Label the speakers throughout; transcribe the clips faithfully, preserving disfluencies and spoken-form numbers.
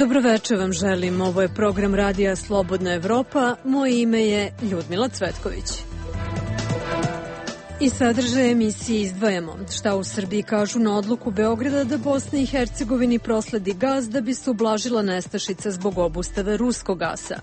Speaker 1: Dobroveče vam želim, ovo je program Radija Slobodna Evropa, moje ime je Ljudmila Cvetković. I sadržaj emisije izdvajamo šta u Srbiji kažu na odluku Beograda da Bosni i Hercegovini prosledi gas da bi se ublažila nestašica zbog obustave ruskog gasa.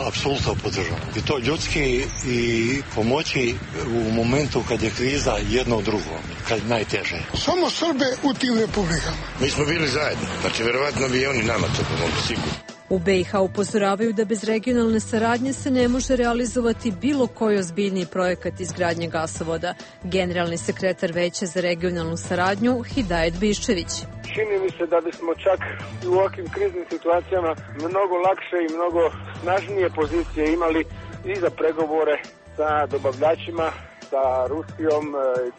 Speaker 2: Apsolutno podržavam. I to ljudski i pomoći u momentu kad je kriza jedno drugo, kad je najteže.
Speaker 3: Samo Srbe u tim republikama.
Speaker 4: Mi smo bili zajedno, znači verovatno bi oni nama to pomogli, sigurno.
Speaker 1: U B i H upozoravaju da bez regionalne saradnje se ne može realizovati bilo koji ozbiljniji projekat izgradnje gasovoda. Generalni sekretar Veća za regionalnu saradnju Hidajet Biščević.
Speaker 5: Čini mi se da bismo čak u ovakvim kriznim situacijama mnogo lakše i mnogo snažnije pozicije imali i za pregovore sa dobavljačima, sa Rusijom,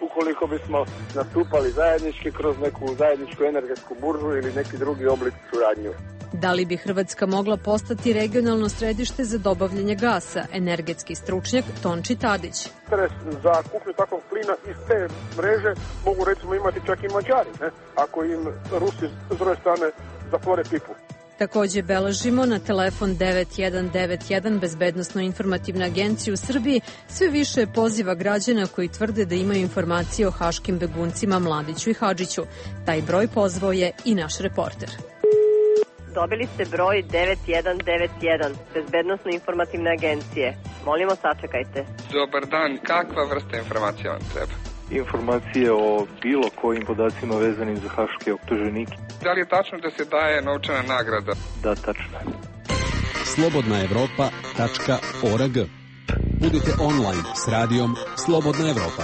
Speaker 5: ukoliko bismo nastupali zajednički kroz neku zajedničku energetsku buržu ili neki drugi oblik suradnju.
Speaker 1: Da li bi Hrvatska mogla postati regionalno središte za dobavljanje gasa? Energetski stručnjak Tonči Tadić.
Speaker 5: Interes za kupnju takvog plina iz te mreže mogu recimo imati čak i Mađari, ne? Ako im Rusi s druge strane zatvore pipu.
Speaker 1: Takođe beležimo na telefon devet jedan devet jedan Bezbednosno informativna agencija u Srbiji sve više poziva građana koji tvrde da imaju informacije o haškim beguncima Mladiću i Hadžiću. Taj broj pozvao je i naš reporter.
Speaker 6: Dobili ste broj devet jedan devet jedan Bezbednosno informativne agencije. Molimo, sačekajte.
Speaker 7: Dobar dan, kakva vrsta informacija vam treba?
Speaker 8: Informacije o bilo kojim podacima vezanim za haške optuženike.
Speaker 7: Da li je tačno da se daje novčana nagrada?
Speaker 8: Da, tačno.
Speaker 9: slobodna evropa tačka org. Budite online s radijom Slobodna Evropa.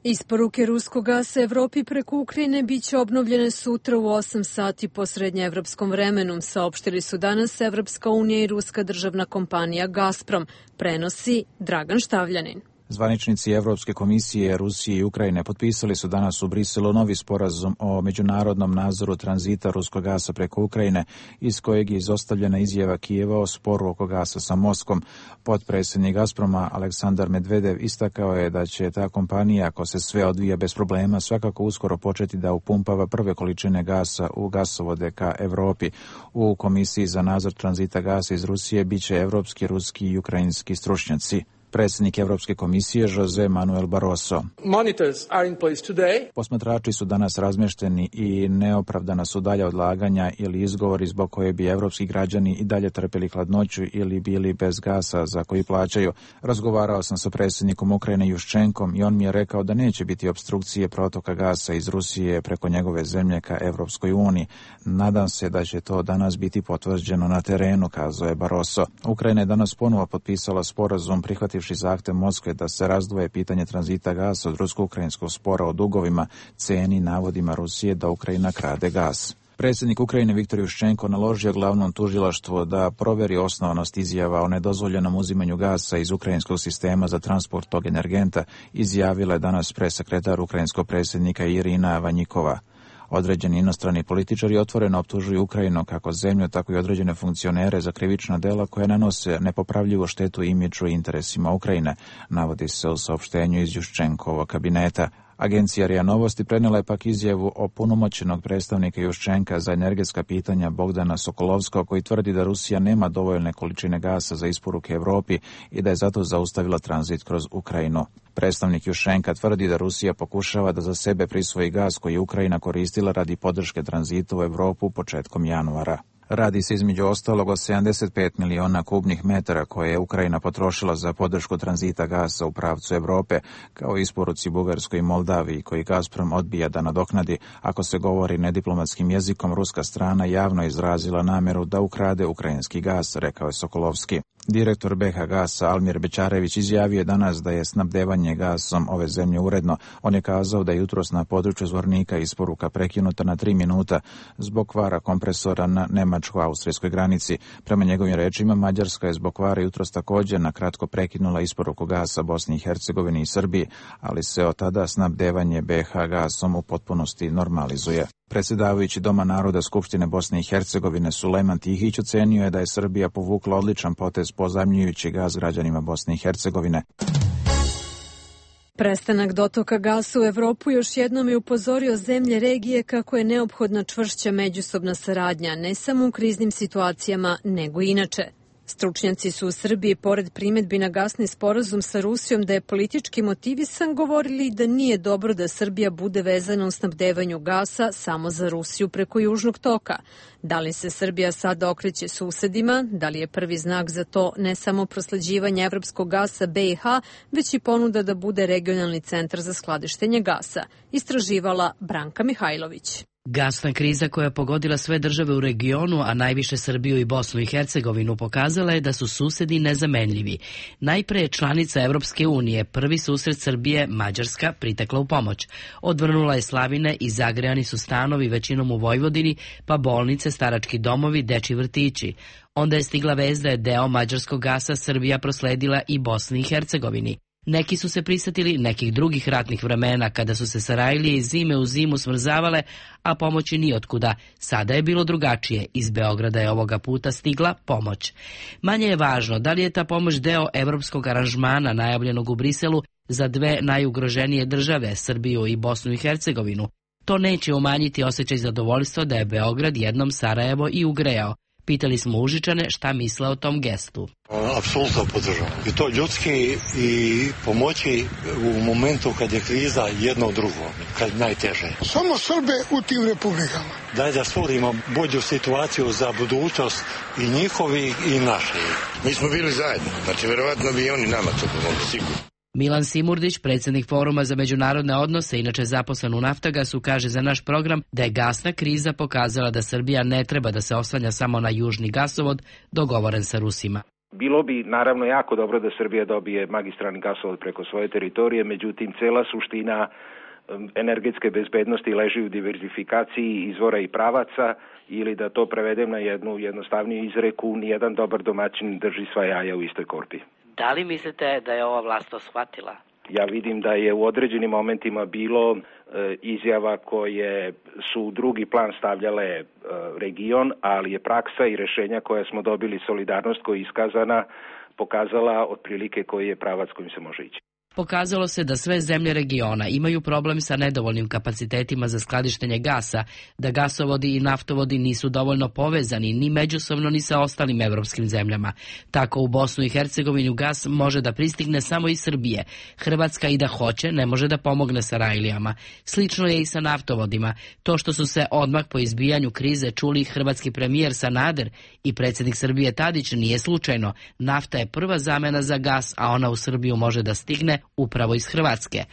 Speaker 1: Isporuke ruskog gasa Evropi preko Ukrajine biće obnovljene sutra u osam sati po srednjeevropskom vremenu, saopštili su danas Evropska unija i ruska državna kompanija Gazprom, prenosi Dragan Štavljanin.
Speaker 10: Zvaničnici Evropske komisije Rusije i Ukrajine potpisali su danas u Briselu novi sporazum o međunarodnom nadzoru tranzita ruskog gasa preko Ukrajine, iz kojeg je izostavljena izjava Kijeva o sporu oko gasa sa Moskvom. Potpredsjednik Gazproma Aleksandar Medvedev istakao je da će ta kompanija, ako se sve odvija bez problema, svakako uskoro početi da upumpava prve količine gasa u gasovode ka Evropi. U Komisiji za nadzor tranzita gasa iz Rusije biće evropski, ruski i ukrajinski stručnjaci. Predsjednik Evropske komisije Jose Manuel Barroso. Posmatrači su danas razmješteni i neopravdana su dalja odlaganja ili izgovori zbog koje bi evropski građani i dalje trpjeli hladnoću ili bili bez gasa za koji plaćaju. Razgovarao sam sa predsjednikom Ukrajine Juščenkom i on mi je rekao da neće biti opstrukcije protoka gasa iz Rusije preko njegove zemlje ka Evropskoj uniji. Nadam se da će to danas biti potvrđeno na terenu, kazao je Barroso. Ukrajina je danas ponovo potpisala sporazum prihvati zahtev Moskve da se razdvoje pitanje tranzita gasa od rusko-ukrajinskog spora o dugovima, ceni, navodima Rusije da Ukrajina krade gas. Predsjednik Ukrajine Viktor Juščenko naložio glavnom tužilaštvu da proveri osnovanost izjava o nedozvoljenom uzimanju gasa iz ukrajinskog sistema za transport tog energenta, izjavila je danas presekretar ukrajinskog predsjednika Irina Vanjikova. Određeni inostrani političari otvoreno optužuju Ukrajinu kako zemlju, tako i određene funkcionere za krivična dela koje nanose nepopravljivu štetu imidžu i interesima Ukrajine, navodi se u saopštenju iz Juščenkovog kabineta. Agencija R I A Novosti prenijela je pak izjavu o punomoćenog predstavnika Juščenka za energetska pitanja Bogdana Sokolovskog, koji tvrdi da Rusija nema dovoljne količine gasa za isporuke Evropi i da je zato zaustavila tranzit kroz Ukrajinu. Predstavnik Juščenka tvrdi da Rusija pokušava da za sebe prisvoji gas koji je Ukrajina koristila radi podrške tranzitu u Evropu početkom januara. Radi se između ostalog o sedamdeset pet miliona kubnih metara koje je Ukrajina potrošila za podršku tranzita gasa u pravcu Evrope, kao i isporuci Bugarskoj i Moldaviji, koji Gazprom odbija da nadoknadi. Ako se govori nediplomatskim jezikom, ruska strana javno izrazila namjeru da ukrade ukrajinski gas, rekao je Sokolovski. Direktor B H Gasa Almir Bečarević izjavio je danas da je snabdevanje gasom ove zemlje uredno. On je kazao da je jutros na području Zvornika isporuka prekinuta na tri minuta zbog kvara kompresora na nemačko-austrijskoj granici. Prema njegovim rečima, Mađarska je zbog kvara jutros također na kratko prekinula isporuku gasa Bosni i Hercegovini i Srbiji, ali se od tada snabdevanje B H gasom u potpunosti normalizuje. Predsjedavajući Doma naroda Skupštine Bosne i Hercegovine Sulejman Tihić ocenio je da je Srbija povukla odličan potez pozajmljujući gas građanima Bosne i Hercegovine.
Speaker 1: Prestanak dotoka gasa u Evropu još jednom je upozorio zemlje regije kako je neophodna čvršća međusobna saradnja, ne samo u kriznim situacijama, nego i inače. Stručnjaci su u Srbiji, pored primedbi na gasni sporazum sa Rusijom da je politički motivisan, govorili da nije dobro da Srbija bude vezana u snabdevanju gasa samo za Rusiju preko Južnog toka. Da li se Srbija sada okreće susedima, da li je prvi znak za to ne samo prosleđivanje evropskog gasa B i H, već i ponuda da bude regionalni centar za skladištenje gasa, istraživala Branka Mihajlović.
Speaker 11: Gasna kriza koja je pogodila sve države u regionu, a najviše Srbiju i Bosnu i Hercegovinu, pokazala je da su susedi nezamenljivi. Najpre je članica Evropske unije, prvi susret Srbije, Mađarska, pritekla u pomoć. Odvrnula je slavine i zagrejani su stanovi većinom u Vojvodini, pa bolnice, starački domovi, dečji vrtići. Onda je stigla vest da je deo mađarskog gasa Srbija prosledila i Bosni i Hercegovini. Neki su se prisjetili nekih drugih ratnih vremena kada su se Sarajlije iz zime u zimu smrzavale, a pomoći nijotkuda. Sada je bilo drugačije. Iz Beograda je ovoga puta stigla pomoć. Manje je važno da li je ta pomoć deo evropskog aranžmana najavljenog u Briselu za dve najugroženije države, Srbiju i Bosnu i Hercegovinu. To neće umanjiti osjećaj zadovoljstva da je Beograd jednom Sarajevo i ugrejao. Pitali smo Užičane šta misle o tom gestu.
Speaker 2: Apsolutno podržavam. I to ljudski i pomoći u momentu kad je kriza jedno drugo, kad najteže.
Speaker 3: Samo Srbe u tim republikama.
Speaker 2: Daj da stvorimo bolju situaciju za budućnost i njihovi i naši.
Speaker 4: Mi smo bili zajedno, znači verovatno bi i oni nama to pomogli, sigurno.
Speaker 11: Milan Simurdić, predsjednik Foruma za međunarodne odnose, inače zaposlen u Naftagasu, kaže za naš program da je gasna kriza pokazala da Srbija ne treba da se oslanja samo na južni gasovod dogovoren sa Rusima.
Speaker 12: Bilo bi naravno jako dobro da Srbija dobije magistralni gasovod preko svoje teritorije, međutim cela suština energetske bezbednosti leži u diverzifikaciji izvora i pravaca, ili da to prevedem na jednu jednostavniju izreku, nijedan dobar domaćin drži sva jaja u istoj korpi.
Speaker 11: Da li mislite da je ova vlast to shvatila?
Speaker 12: Ja vidim da je u određenim momentima bilo e, izjava koje su u drugi plan stavljale e, region, ali je praksa i rešenja koja smo dobili, solidarnost koja je iskazana, pokazala otprilike koji je pravac kojim se može ići.
Speaker 11: Pokazalo se da sve zemlje regiona imaju problem sa nedovoljnim kapacitetima za skladištenje gasa, da gasovodi i naftovodi nisu dovoljno povezani ni međusobno ni sa ostalim evropskim zemljama. Tako u Bosnu i Hercegovinu gas može da pristigne samo iz Srbije. Hrvatska i da hoće ne može da pomogne Sarajlijama. Slično je i sa naftovodima. To što su se odmah po izbijanju krize čuli hrvatski premijer Sanader i predsjednik Srbije Tadić nije slučajno. Nafta je prva zamena za gas, a ona u Srbiju može da stigne upravo iz Hrvatske.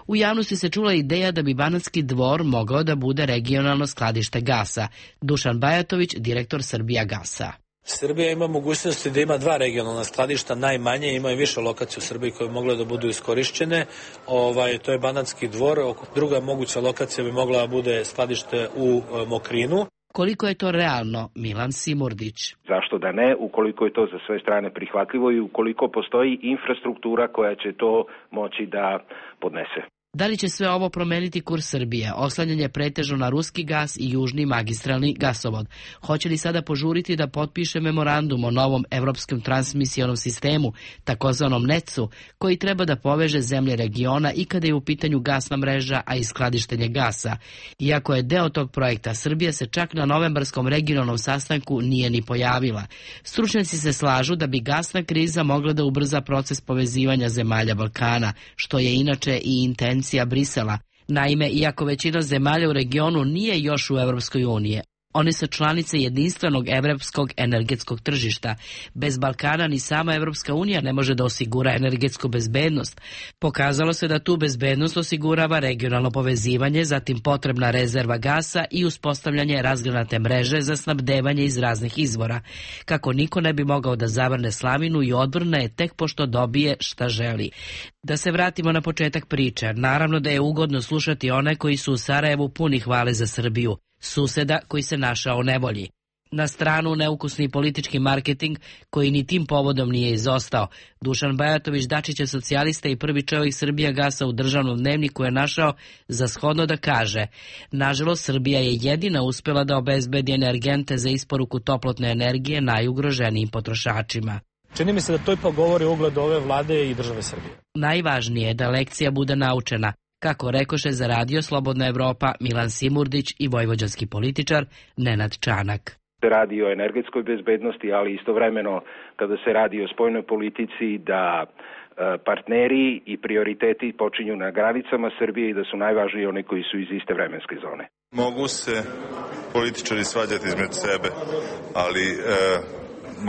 Speaker 11: U javnosti se čula ideja da bi Banatski Dvor mogao da bude regionalno skladište gasa. Dušan Bajatović, direktor Srbija gasa.
Speaker 13: Srbija ima mogućnosti da ima dva regionalna skladišta, najmanje, ima i više lokacija u Srbiji koje bi mogle da budu iskorišćene. Ovaj, to je Banatski Dvor, druga moguća lokacija bi mogla da bude skladište u Mokrinu.
Speaker 11: Koliko je to realno, Milan Simurdić?
Speaker 12: Zašto da ne, ukoliko je to za sve strane prihvatljivo i ukoliko postoji infrastruktura koja će to moći da podnese.
Speaker 11: Da li će sve ovo promeniti kurs Srbije, oslanjanje pretežno na ruski gas i južni magistralni gasovod? Hoće li sada požuriti da potpiše memorandum o novom evropskom transmisijonom sistemu, takozvanom necu, koji treba da poveže zemlje regiona i kada je u pitanju gasna mreža, a i skladištenje gasa? Iako je deo tog projekta, Srbija se čak na novembarskom regionalnom sastanku nije ni pojavila. Stručnjaci se slažu da bi gasna kriza mogla da ubrza proces povezivanja zemalja Balkana, što je inače i intencija Brisela. Naime, iako većina zemalja u regionu nije još u Evropskoj uniji, oni su članice jedinstvenog evropskog energetskog tržišta. Bez Balkana ni sama Evropska unija ne može da osigura energetsku bezbednost. Pokazalo se da tu bezbednost osigurava regionalno povezivanje, zatim potrebna rezerva gasa i uspostavljanje razgranate mreže za snabdevanje iz raznih izvora. Kako niko ne bi mogao da zavrne slavinu i odvrne je tek pošto dobije šta želi. Da se vratimo na početak priče, naravno da je ugodno slušati one koji su u Sarajevu puni hvale za Srbiju, suseda koji se našao u nevolji. Na stranu neukusni politički marketing koji ni tim povodom nije izostao. Dušan Bajatović, Dačićev socijalista i prvi čovjek Srbija gasa u državnom dnevniku, je našao za shodno da kaže: nažalost, Srbija je jedina uspjela da obezbedi energente za isporuku toplotne energije najugroženijim potrošačima.
Speaker 13: Čini mi se da to ipak govori o ugledu ove vlade i države Srbije.
Speaker 11: Najvažnije je da lekcija bude naučena, kako rekoše za Radio Slobodna Evropa Milan Simurdić i vojvođanski političar Nenad Čanak.
Speaker 12: Se radi o energetskoj bezbednosti, ali istovremeno kada se radi o spoljnoj politici da partneri i prioriteti počinju na granicama Srbije i da su najvažniji oni koji su iz iste vremenske zone.
Speaker 14: Mogu se političari svađati između sebe, ali e,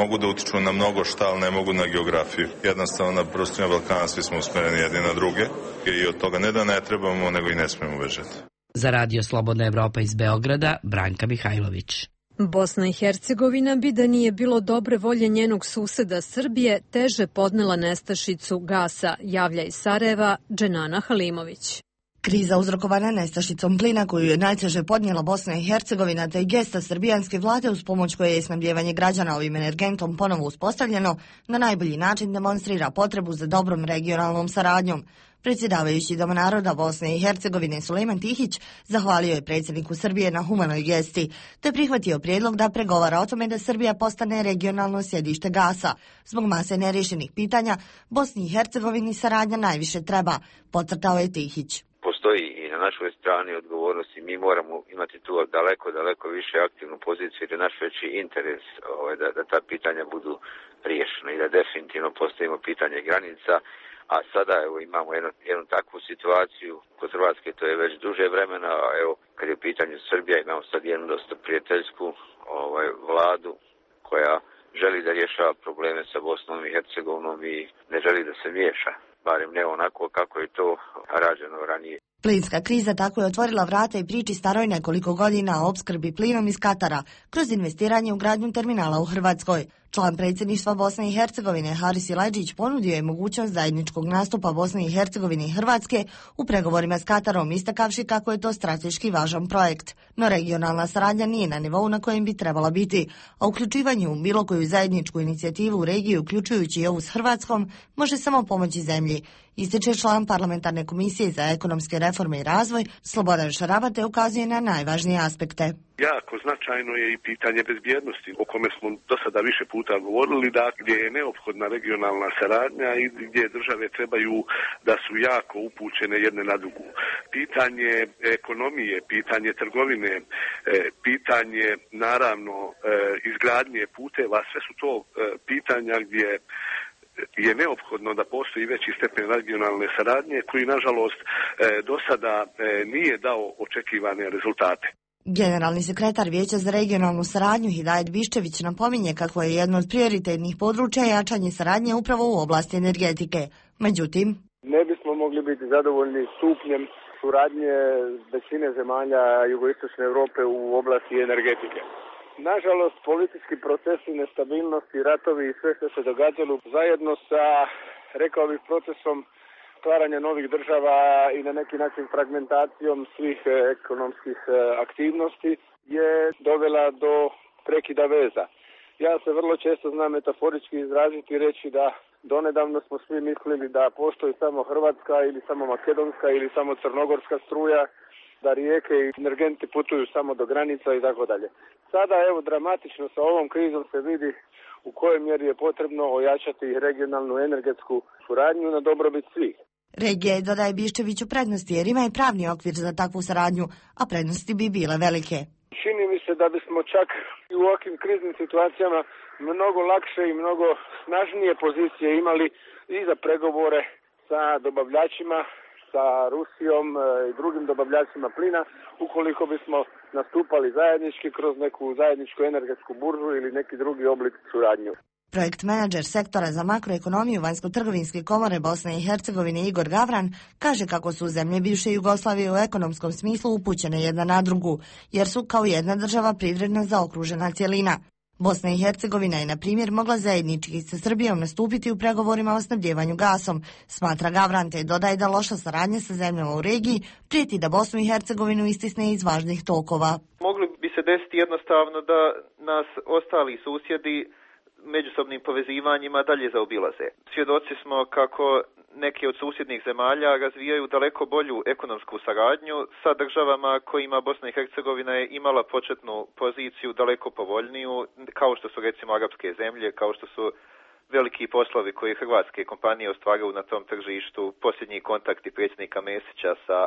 Speaker 14: mogu da utiču na mnogo šta, ali ne mogu na geografiju. Jednostavno na prostorima Balkana svi smo usmereni jedni na druge i od toga ne da ne trebamo, nego i ne smemo bežati.
Speaker 11: Za Radio Slobodna Evropa iz Beograda, Branka Mihajlović.
Speaker 1: Bosna i Hercegovina bi da nije bilo dobre volje njenog suseda Srbije teže podnela nestašicu gasa, javlja iz Sarajeva Dženana Halimović.
Speaker 15: Kriza uzrokovana nestašicom plina koju je najteže podnijela Bosna i Hercegovina te i gesta srbijanske vlade uz pomoć koje je snabdjevanje građana ovim energentom ponovo uspostavljeno na najbolji način demonstrira potrebu za dobrom regionalnom saradnjom. Predsjedavajući Doma naroda Bosne i Hercegovine Sulejman Tihić zahvalio je predsjedniku Srbije na humanoj gesti, te prihvatio prijedlog da pregovara o tome da Srbija postane regionalno sjedište gasa. Zbog mase nerješenih pitanja, Bosni i Hercegovini saradnja najviše treba, podcrtao je Tihić.
Speaker 16: Postoji i na našoj strani odgovornosti, mi moramo imati tu daleko, daleko više aktivnu poziciju jer je naš veći interes ovaj, da, da ta pitanja budu riješena i da definitivno postavimo pitanje granica. A sada evo, imamo jednu, jednu takvu situaciju kod Hrvatske, to je već duže vremena, a evo kad je u pitanju Srbija imamo sad jednu dosta prijateljsku ovaj, vladu koja želi da rješava probleme sa Bosnom i Hercegovinom i ne želi da se miješa, barem ne onako kako je to rađeno ranije.
Speaker 15: Plinska kriza tako je otvorila vrata i priči staroj nekoliko godina o opskrbi plinom iz Katara kroz investiranje u gradnju terminala u Hrvatskoj. Član predsjedništva Bosne i Hercegovine Haris Silajdžić ponudio je mogućnost zajedničkog nastupa Bosne i Hercegovine i Hrvatske u pregovorima s Katarom, istakavši kako je to strateški važan projekt. No regionalna saradnja nije na nivou na kojem bi trebala biti, a uključivanje u bilo koju zajedničku inicijativu u regiji, uključujući i ovu s Hrvatskom, može samo pomoći zemlji. Ističe član parlamentarne komisije za ekonomske reforme i razvoj Slobodan Šaraba te ukazuje na najvažnije aspekte.
Speaker 17: Jako značajno je i pitanje bezbjednosti, o kome smo do sada više puta govorili, da gdje je neophodna regionalna saradnja i gdje države trebaju da su jako upućene jedne na drugu. Pitanje ekonomije, pitanje trgovine, pitanje naravno izgradnje puteva, sve su to pitanja gdje je neophodno da postoji veći stepen regionalne saradnje koji nažalost do sada nije dao očekivane rezultate.
Speaker 15: Generalni sekretar Vijeća za regionalnu saradnju Hidajet Biščević napominje kako je jedno od prioritetnih područja jačanje saradnje upravo u oblasti energetike. Međutim,
Speaker 5: ne bismo mogli biti zadovoljni stupnjem suradnje većine zemalja jugoistočne Europe u oblasti energetike. Nažalost, politički procesi, nestabilnosti, ratovi i sve što se događalo zajedno sa, rekao bih, procesom stvaranja novih država i na neki način fragmentacijom svih ekonomskih aktivnosti je dovela do prekida veza. Ja se vrlo često znam metaforički izraziti i reći da donedavno smo svi mislili da postoji samo hrvatska ili samo makedonska ili samo crnogorska struja, da rijeke i energenti putuju samo do granica i tako dalje. Sada evo dramatično sa ovom krizom se vidi u kojoj mjeri je potrebno ojačati regionalnu energetsku suradnju na dobrobit svih.
Speaker 15: Regija je, dodaje Biščević, u prednosti jer ima i pravni okvir za takvu saradnju, a prednosti bi bile velike.
Speaker 5: Čini mi se da bismo čak i u ovakvim kriznim situacijama mnogo lakše i mnogo snažnije pozicije imali i za pregovore sa dobavljačima, sa Rusijom i drugim dobavljačima plina, ukoliko bismo nastupali zajednički kroz neku zajedničku energetsku buržu ili neki drugi oblik suradnju.
Speaker 15: Projekt menadžer sektora za makroekonomiju Vanjsko-trgovinske komore Bosne i Hercegovine Igor Gavran kaže kako su zemlje bivše Jugoslavije u ekonomskom smislu upućene jedna na drugu, jer su kao jedna država privredno zaokružena cjelina. Bosna i Hercegovina je, na primjer, mogla zajednički sa Srbijom nastupiti u pregovorima o snabdjevanju gasom, smatra Gavran, te dodaje da loša saradnja sa zemljama u regiji prijeti da Bosnu i Hercegovinu istisne iz važnih tokova.
Speaker 18: Mogli bi se desiti jednostavno da nas ostali susjedi međusobnim povezivanjima dalje zaobilaze. Svjedoci smo kako neke od susjednih zemalja razvijaju daleko bolju ekonomsku saradnju sa državama kojima Bosna i Hercegovina je imala početnu poziciju daleko povoljniju, kao što su recimo arapske zemlje, kao što su veliki poslovi koji hrvatske kompanije ostvaruju na tom tržištu, posljednji kontakti predsjednika Mesića sa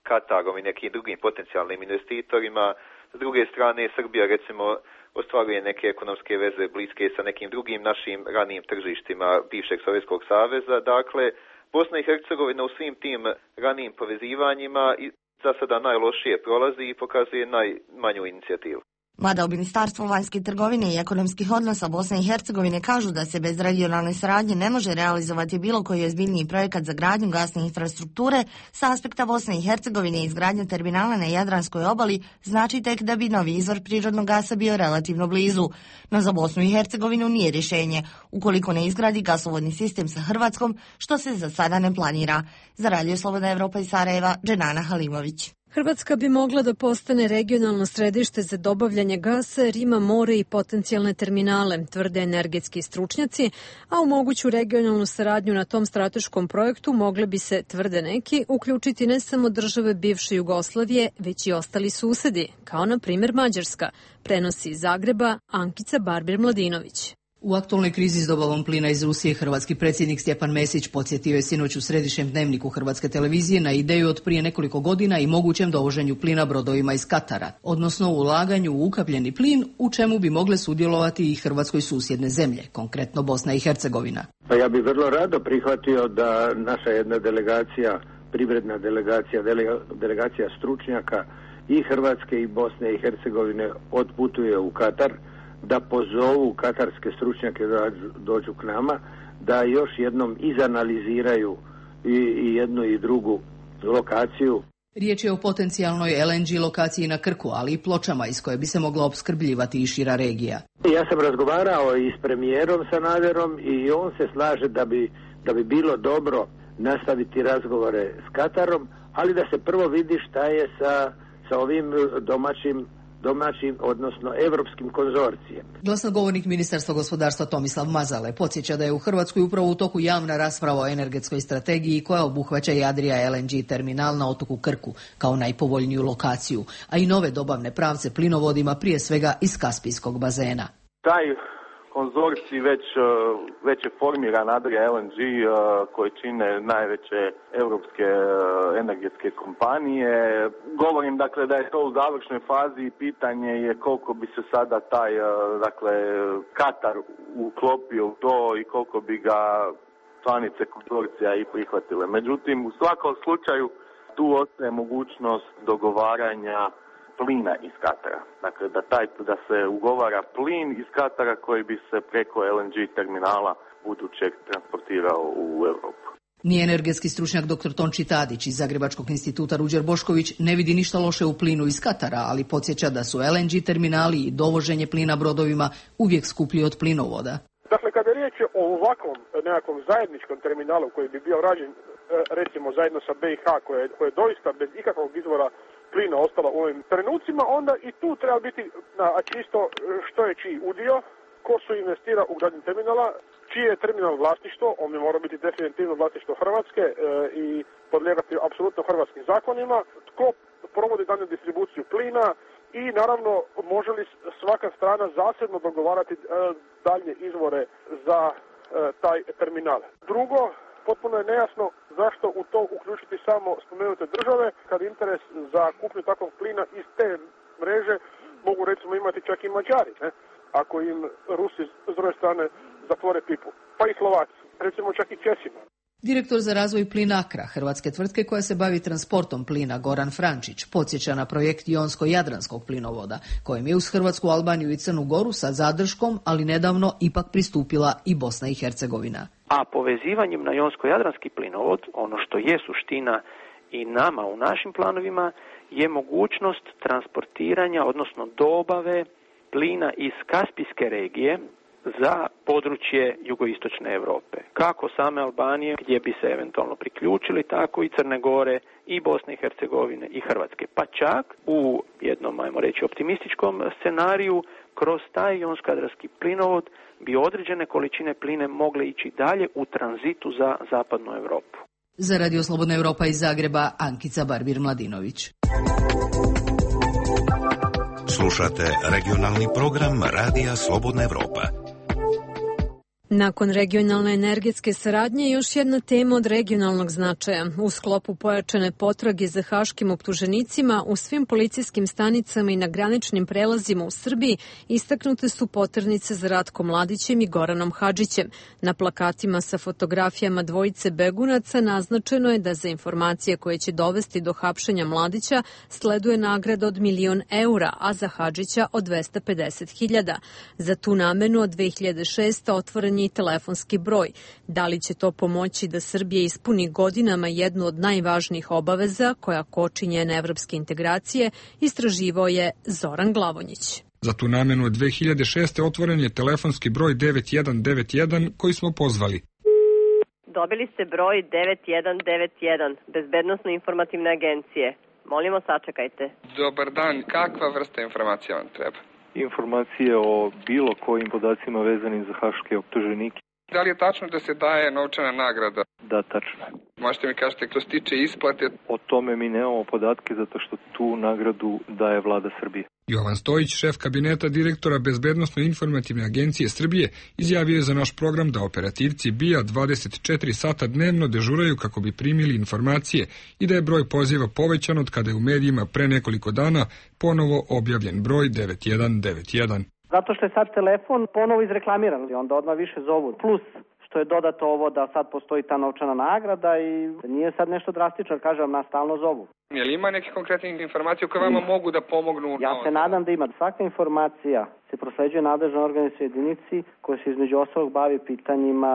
Speaker 18: Katarom i nekim drugim potencijalnim investitorima. S druge strane, Srbija recimo ostvaruje neke ekonomske veze bliske sa nekim drugim našim ranijim tržištima bivšeg Sovjetskog saveza. Dakle, Bosna i Hercegovina u svim tim ranijim povezivanjima za sada najlošije prolazi i pokazuje najmanju inicijativu.
Speaker 15: Mada u Ministarstvu vanjske trgovine i ekonomskih odnosa Bosne i Hercegovine kažu da se bez regionalne saradnje ne može realizovati bilo koji ozbiljniji projekat za gradnju gasne infrastrukture, sa aspekta Bosne i Hercegovine i izgradnja terminala na Jadranskoj obali znači tek da bi novi izvor prirodnog gasa bio relativno blizu. No za Bosnu i Hercegovinu nije rješenje, ukoliko ne izgradi gasovodni sistem sa Hrvatskom, što se za sada ne planira. Za Radio Slobodna Evropa iz Sarajeva, Dženana Halimović.
Speaker 1: Hrvatska bi mogla da postane regionalno središte za dobavljanje gasa jer ima more i potencijalne terminale, tvrde energetski stručnjaci, a u moguću regionalnu saradnju na tom strateškom projektu mogle bi se, tvrde neki, uključiti ne samo države bivše Jugoslavije, već i ostali susedi, kao na primjer Mađarska, prenosi iz Zagreba Ankica Barbir-Mladinović.
Speaker 19: U aktualnoj krizi s dobavom plina iz Rusije, hrvatski predsjednik Stjepan Mesić podsjetio je sinoć u središnjem dnevniku Hrvatske televizije na ideju od prije nekoliko godina i mogućem dovoženju plina brodovima iz Katara, odnosno u ulaganju u ukapljeni plin, u čemu bi mogle sudjelovati i Hrvatskoj susjedne zemlje, konkretno Bosna i Hercegovina.
Speaker 20: Pa ja bih vrlo rado prihvatio da naša jedna delegacija, privredna delegacija, delegacija stručnjaka i Hrvatske i Bosne i Hercegovine otputuje u Katar, da pozovu katarske stručnjake da dođu k nama, da još jednom izanaliziraju i, i jednu i drugu lokaciju.
Speaker 19: Riječ je o potencijalnoj L N G lokaciji na Krku, ali i Pločama iz koje bi se mogla opskrbljivati i šira regija.
Speaker 20: Ja sam razgovarao i s premijerom Sanaderom i on se slaže da bi, da bi bilo dobro nastaviti razgovore s Katarom, ali da se prvo vidi šta je sa, sa ovim domaćim domaćim, odnosno evropskim konzorcijem.
Speaker 19: Glasnogovornik Ministarstva gospodarstva Tomislav Mazale podsjeća da je u Hrvatskoj upravo u toku javna rasprava o energetskoj strategiji koja obuhvaća i Adria L N G terminal na otoku Krku kao najpovoljniju lokaciju, a i nove dobavne pravce plinovodima, prije svega iz Kaspijskog bazena.
Speaker 8: Taj konzorcij već, već je formiran, Adria L N G, koji čine najveće europske energetske kompanije. Govorim dakle da je to u završnoj fazi i pitanje je koliko bi se sada taj dakle Katar uklopio u to i koliko bi ga članice konzorcija i prihvatile. Međutim, u svakom slučaju tu ostaje mogućnost dogovaranja plina iz Katara. Dakle, da, taj, da se ugovara plin iz Katara koji bi se preko L N G terminala budućeg transportirao u Europu.
Speaker 19: Ni energetski stručnjak dr. Tonči Tadić iz Zagrebačkog instituta Ruđer Bošković ne vidi ništa loše u plinu iz Katara, ali podsjeća da su L N G terminali i dovoženje plina brodovima uvijek skuplji od plinovoda.
Speaker 5: Dakle, kada je riječ o ovakvom nekakvom zajedničkom terminalu koji bi bio rađen recimo zajedno sa B i H, koje, koje je doista bez ikakvog izvora plina ostala u ovim trenucima, onda i tu treba biti na čisto što je čiji udio, ko su investira u gradnju terminala, čije je terminal vlasništvo, on bi mora biti definitivno vlasništvo Hrvatske e, i podlijegati apsolutno hrvatskim zakonima, tko provodi dalju distribuciju plina i naravno može li svaka strana zasebno dogovarati e, dalje izvore za e, taj terminal. Drugo, potpuno je nejasno zašto u to uključiti samo spomenute države, kad interes za kupnju takvog plina iz te mreže mogu recimo imati čak i Mađari, ne? Ako im Rusi s druge strane zatvore pipu, pa i Slovaci, recimo čak i Česima.
Speaker 19: Direktor za razvoj Plinakra, hrvatske tvrtke koja se bavi transportom plina, Goran Frančić, podsjeća na projekt Jonsko-Jadranskog plinovoda, kojem je uz Hrvatsku, Albaniju i Crnu Goru sa zadrškom, ali nedavno ipak pristupila i Bosna i Hercegovina.
Speaker 21: A povezivanjem na Jonsko-Jadranski plinovod, ono što je suština i nama u našim planovima, je mogućnost transportiranja, odnosno dobave plina iz Kaspijske regije za područje jugoistočne Europe. Kako same Albanije, gdje bi se eventualno priključili, tako i Crne Gore, i Bosne i Hercegovine i Hrvatske. Pa čak u jednom, ajmo reći, optimističkom scenariju, kroz taj jonsko-jadranski plinovod bi određene količine pline mogle ići dalje u tranzitu za zapadnu Europu.
Speaker 19: Za Radio Slobodna Europa iz Zagreba, Ankica Barbir-Mladinović.
Speaker 22: Slušate regionalni program Radija Slobodna Europa.
Speaker 1: Nakon regionalne energetske saradnje, još jedna tema od regionalnog značaja. U sklopu pojačane potrage za haškim optuženicima u svim policijskim stanicama i na graničnim prelazima u Srbiji istaknute su poternice za Ratkom Mladićem i Goranom Hadžićem. Na plakatima sa fotografijama dvojice begunaca naznačeno je da za informacije koje će dovesti do hapšenja Mladića sleduje nagrada od milion eura, a za Hadžića od dvesta pedeset hiljada. Za tu namenu od dve hiljade šeste. otvoren i telefonski broj. Da li će to pomoći da Srbija ispuni godinama jednu od najvažnijih obaveza koja koči njene evropske integracije, istraživao je Zoran Glavonjić.
Speaker 6: Za tu namenu od dve hiljade šeste. otvoren je telefonski broj devet jedan devet jedan koji smo pozvali.
Speaker 22: Dobili ste broj devet jedan devet jedan, Bezbednosno-informativne agencije. Molimo, sačekajte.
Speaker 7: Dobar dan, kakva vrsta informacija vam treba?
Speaker 23: Informacije o bilo kojim podacima vezanim za haške optuženike.
Speaker 7: Da li je tačno da se daje novčana nagrada?
Speaker 23: Da, tačno.
Speaker 7: Možete mi kažete što se tiče isplate?
Speaker 23: O tome mi nemamo podatke zato što tu nagradu daje vlada Srbije.
Speaker 6: Jovan Stojić, šef kabineta direktora Bezbednosno-informativne agencije Srbije, izjavio je za naš program da operativci B I A dvadeset četiri sata dnevno dežuraju kako bi primili informacije i da je broj poziva povećan od kada je u medijima pre nekoliko dana ponovo objavljen broj devet jedan devet jedan.
Speaker 24: Zato što je sad telefon ponovo izreklamiran i onda odmah više zovu. Plus što je dodato ovo da sad postoji ta novčana nagrada i nije sad nešto drastično, kažem, nas stalno zovu.
Speaker 7: Je li ima neke konkretne informacije koje vama mogu da pomognu?
Speaker 24: Ja se nadam da ima. Svaka informacija se prosleđuje nadležnoj organizacijskoj jedinici koja se između ostalog bavi pitanjima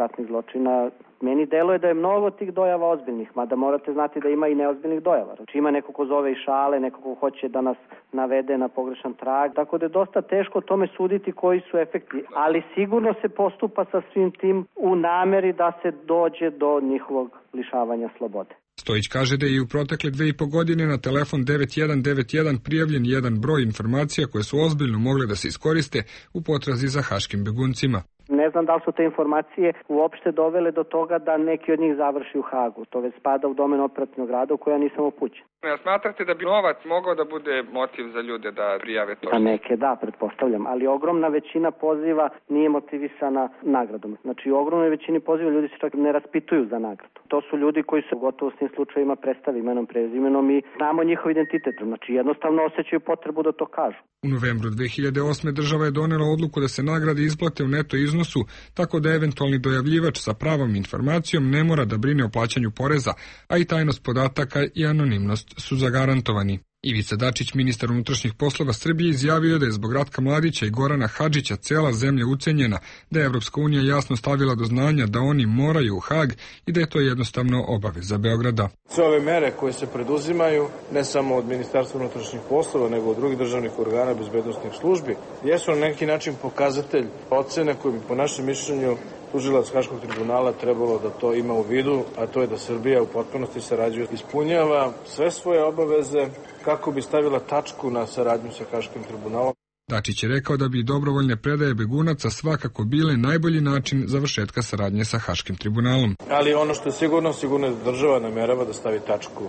Speaker 24: ratnih zločina. Meni deluje da je mnogo tih dojava ozbiljnih, mada morate znati da ima i neozbiljnih dojava. Znači ima neko ko zove i šale, neko ko hoće da nas navede na pogrešan trag, tako da je dosta teško tome suditi koji su efekti, ali sigurno se postupa sa svim tim u nameri da se dođe do njihovog lišavanja slobode.
Speaker 6: Stojić kaže da je i u protekle dve i po godine na telefon devet jedan devet jedan prijavljen jedan broj informacija koje su ozbiljno mogle da se iskoriste u potrazi za haškim beguncima.
Speaker 24: Ne znam da li su te informacije uopšte dovele do toga da neki od njih završi u Hagu. To već spada u domen operativnog rada u koja nisam upućen.
Speaker 7: Ja smatrate da bi novac mogao da bude motiv za ljude da prijave to?
Speaker 24: A neke da, pretpostavljam, ali ogromna većina poziva nije motivisana nagradom. Znači u ogromnoj većini poziva ljudi se čak ne raspituju za nagradu. To su ljudi koji se gotovo s tim slučajima predstavi imenom, prezimenom i znamo njihov identitet. Znači jednostavno osjećaju potrebu da to kažu.
Speaker 6: U novembru dve hiljade osme. država je donela odluku da se nagrade isplate u neto iznosu, tako da eventualni dojavljivač sa pravom informacijom ne mora da brine o plaćanju poreza, a i tajnost podataka i anonimnost su zagarantovani. Ivica Dačić, ministar unutrašnjih poslova Srbije, izjavio da je zbog Ratka Mladića i Gorana Hadžića cela zemlja ucenjena, da je Evropska unija jasno stavila do znanja da oni moraju u Hag i da je to jednostavno obaveza Beograda.
Speaker 25: Sve ove mere koje se preduzimaju, ne samo od Ministarstva unutrašnjih poslova, nego od drugih državnih organa bezbednosnih službi, jesu na neki način pokazatelj ocene koje bi po našem mišljenju tužilac Haškog tribunala trebalo da to ima u vidu, a to je da Srbija u potpunosti sarađuje, ispunjava sve svoje obaveze kako bi stavila tačku na saradnju sa Haškim tribunalom.
Speaker 6: Dačić je rekao da bi dobrovoljne predaje begunaca svakako bile najbolji način završetka saradnje sa Haškim tribunalom.
Speaker 25: Ali ono što je sigurno, sigurno je da država namerava da stavi tačku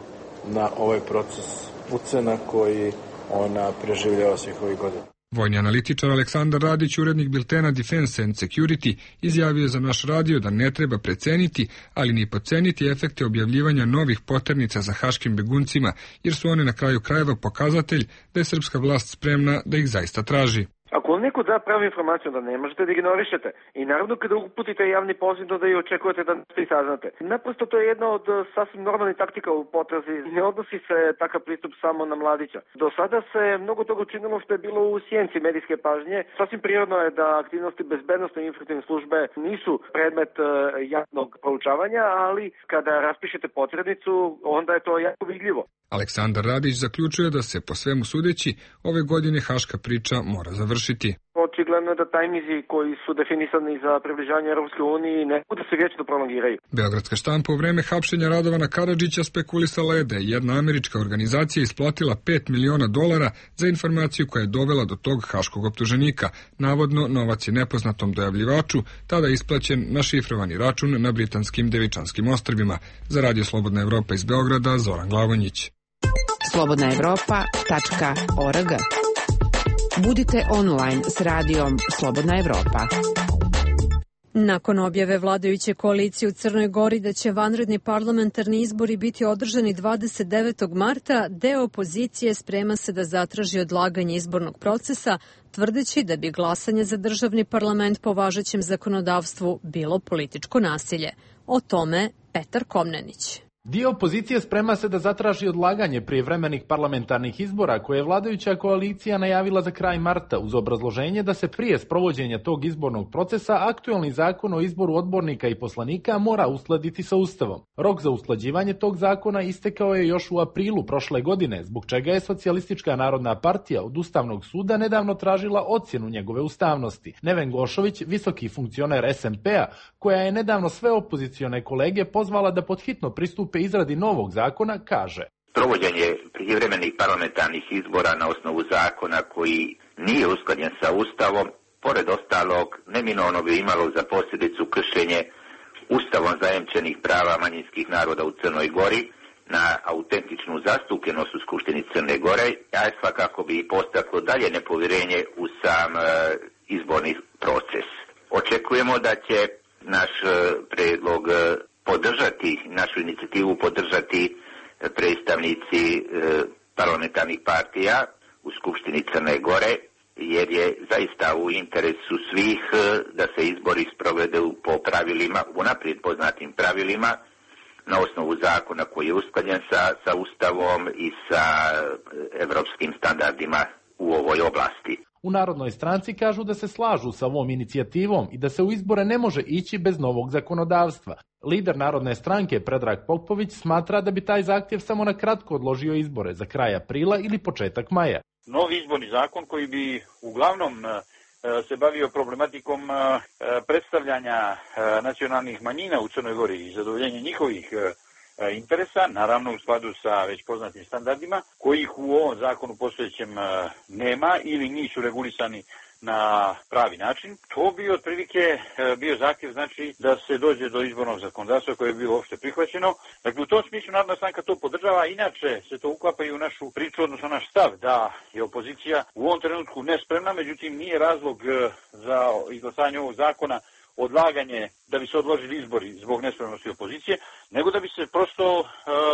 Speaker 25: na ovaj proces ucena koji ona preživljava svih ovih godina.
Speaker 6: Vojni analitičar Aleksandar Radić, urednik biltena Defense and Security, izjavio za naš radio da ne treba preceniti, ali ni podceniti efekte objavljivanja novih poternica za haškim beguncima, jer su one na kraju krajeva pokazatelj da je srpska vlast spremna da ih zaista traži.
Speaker 26: Ako vam neko da pravu informaciju, da ne možete da ignorišete. I naravno kada uputite javni poziv da i očekujete da nešto i saznate. Naprosto to je jedna od sasvim normalnih taktika u potrazi. Ne odnosi se takav pristup samo na Mladića. Do sada se mnogo toga učinilo što je bilo u sjenci medijske pažnje. Sasvim prirodno je da aktivnosti bezbednosne informativne službe nisu predmet javnog proučavanja, ali kada raspišete potrebnicu, onda je to jako vidljivo.
Speaker 6: Aleksandar Radić zaključuje da se po svemu sudeći ove godine haška priča mora završiti.
Speaker 26: Očigledno je da tajmizi koji su definisani za približavanje Europske unije ne budu se vječno prolongiraju.
Speaker 6: Beogradska štampa u vreme hapšenja Radovana Karadžića spekulisala je da je jedna američka organizacija isplatila pet miliona dolara za informaciju koja je dovela do tog haškog optuženika. Navodno, novac je nepoznatom dojavljivaču tada isplaćen na šifrovani račun na britanskim Devičanskim ostrvima. Za Radio Slobodna Evropa iz Beograda, Zoran Glavonjić.
Speaker 27: slobodna evropa tačka org. Budite online s radijom Slobodna Evropa.
Speaker 1: Nakon objave vladajuće koalicije u Crnoj Gori da će vanredni parlamentarni izbori biti održani dvadeset devetog marta, deo opozicije sprema se da zatraži odlaganje izbornog procesa, tvrdeći da bi glasanje za državni parlament po važećem zakonodavstvu bilo političko nasilje. O tome Petar Komnenić.
Speaker 2: Dio opozicije sprema se da zatraži odlaganje prijevremenih parlamentarnih izbora koje je vladajuća koalicija najavila za kraj marta uz obrazloženje da se prije sprovođenja tog izbornog procesa aktuelni zakon o izboru odbornika i poslanika mora uskladiti sa Ustavom. Rok za usklađivanje tog zakona istekao je još u aprilu prošle godine, zbog čega je Socijalistička narodna partija od Ustavnog suda nedavno tražila ocjenu njegove ustavnosti. Neven Gošović, visoki funkcioner es en pe a, koja je nedavno sve opozicione kolege pozvala da podhitno pristupe izradi novog zakona, kaže:
Speaker 3: Provođenje privremenih parlamentarnih izbora na osnovu zakona koji nije usklađen sa Ustavom, pored ostalog, neminovno bi imalo za posljedicu kršenje Ustavom zajamčenih prava manjinskih naroda u Crnoj Gori na autentičnu zastupljenost u Skupštini Crne Gore, a svakako bi postaklo dalje nepovjerenje u sam e, izborni proces. Očekujemo da će naš e, predlog e, podržati, našu inicijativu podržati predstavnici e, parlamentarnih partija u Skupštini Crne Gore, jer je zaista u interesu svih e, da se izbori sprovedu po pravilima, unaprijed poznatim pravilima, na osnovu zakona koji je usklađen sa, sa Ustavom i sa evropskim standardima u ovoj oblasti.
Speaker 2: U Narodnoj stranci kažu da se slažu sa ovom inicijativom i da se u izbore ne može ići bez novog zakonodavstva. Lider Narodne stranke Predrag Popović smatra da bi taj zahtjev samo na kratko odložio izbore za kraj aprila ili početak maja.
Speaker 4: Novi izborni zakon koji bi uglavnom se bavio problematikom predstavljanja nacionalnih manjina u Crnoj Gori i zadovoljenja njihovih interesa, naravno u skladu sa već poznatim standardima, kojih u ovom zakonu postojećem nema ili nisu regulisani na pravi način. To bi otprilike bio zahtjev, znači da se dođe do izbornog zakonodavstva koje je bilo uopšte prihvaćeno. Dakle, u tom smislu Narodna stranka to podržava, inače se to uklapa i u našu priču, odnosno naš stav da je opozicija u ovom trenutku nespremna, međutim nije razlog za izglasanje ovog zakona odlaganje da bi se odložili izbori zbog nespremnosti opozicije, nego da bi se prosto e,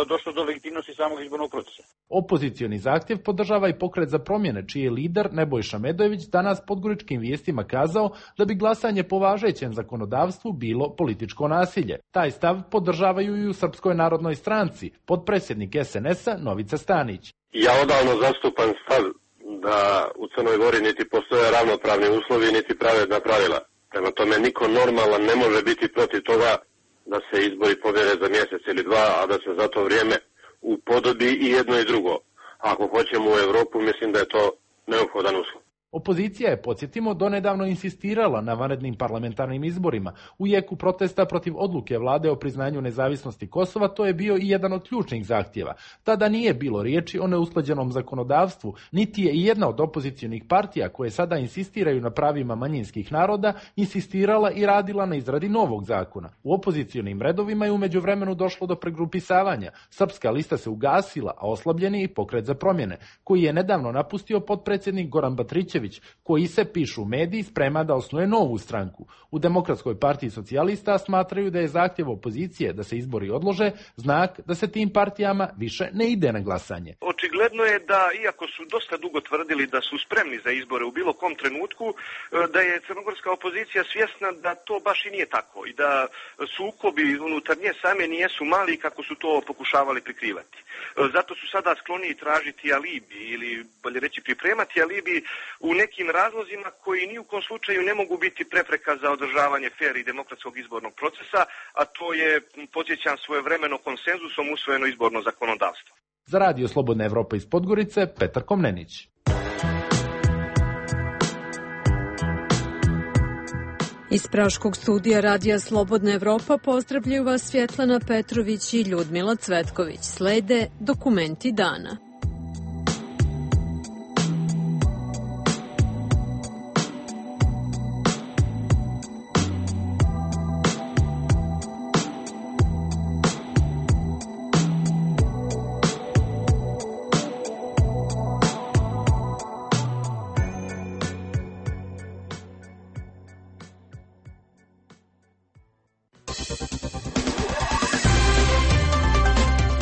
Speaker 4: došlo do legitimnosti samog izbornog procesa.
Speaker 2: Opozicioni zahtjev podržava i Pokret za promjene, čiji je lider Nebojša Medojević danas podgoričkim vijestima kazao da bi glasanje po važećem zakonodavstvu bilo političko nasilje. Taj stav podržavaju i u Srpskoj narodnoj stranci, potpredsjednik es en es a Novica Stanić.
Speaker 9: Ja odavno zastupam stav da u Crnoj Gori niti postoje ravnopravni uslovi, niti pravedna pravila. Prema tome, niko normalan ne može biti protiv toga da se izbori povjere za mjesec ili dva, a da se za to vrijeme upodobi i jedno i drugo. Ako hoćemo u Europu, mislim da je to neophodan uslov.
Speaker 2: Opozicija je, podsjetimo, donedavno insistirala na vanrednim parlamentarnim izborima. U jeku protesta protiv odluke vlade o priznanju nezavisnosti Kosova, to je bio i jedan od ključnih zahtjeva. Tada nije bilo riječi o neusklađenom zakonodavstvu, niti je i jedna od opozicionih partija koje sada insistiraju na pravima manjinskih naroda insistirala i radila na izradi novog zakona. U opozicionim redovima je u međuvremenu došlo do pregrupisavanja. Srpska lista se ugasila, a oslabljeni i Pokret za promjene, koji je nedavno napustio potpredsjednik Goran Batrićević, koji se, pišu mediji, sprema da osnuje novu stranku. U Demokratskoj partiji socijalista smatraju da je zahtjev opozicije da se izbori odlože znak da se tim partijama više ne ide na glasanje.
Speaker 10: Očigledno je da, iako su dosta dugo tvrdili da su spremni za izbore u bilo kom trenutku, da je crnogorska opozicija svjesna da to baš i nije tako i da sukobi unutar nje same nijesu mali kako su to pokušavali prikrivati. Zato su sada skloni tražiti alibi ili, bolje reći, pripremati alibi u nekim razlozima koji ni u kom slučaju ne mogu biti prepreka za održavanje fer i demokratskog izbornog procesa, a to je, podsjećam, svojevremeno konsenzusom usvojeno izborno zakonodavstvo.
Speaker 2: Za Radio Slobodna Evropa iz Podgorice, Petar Komnenić.
Speaker 1: Iz Praškog studija Radija Slobodna Evropa pozdravljaju vas Svjetlana Petrović i Ljudmila Cvetković. Slede dokumenti dana.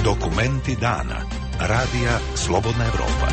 Speaker 11: Dokumenti dana. Radija Slobodna Evropa.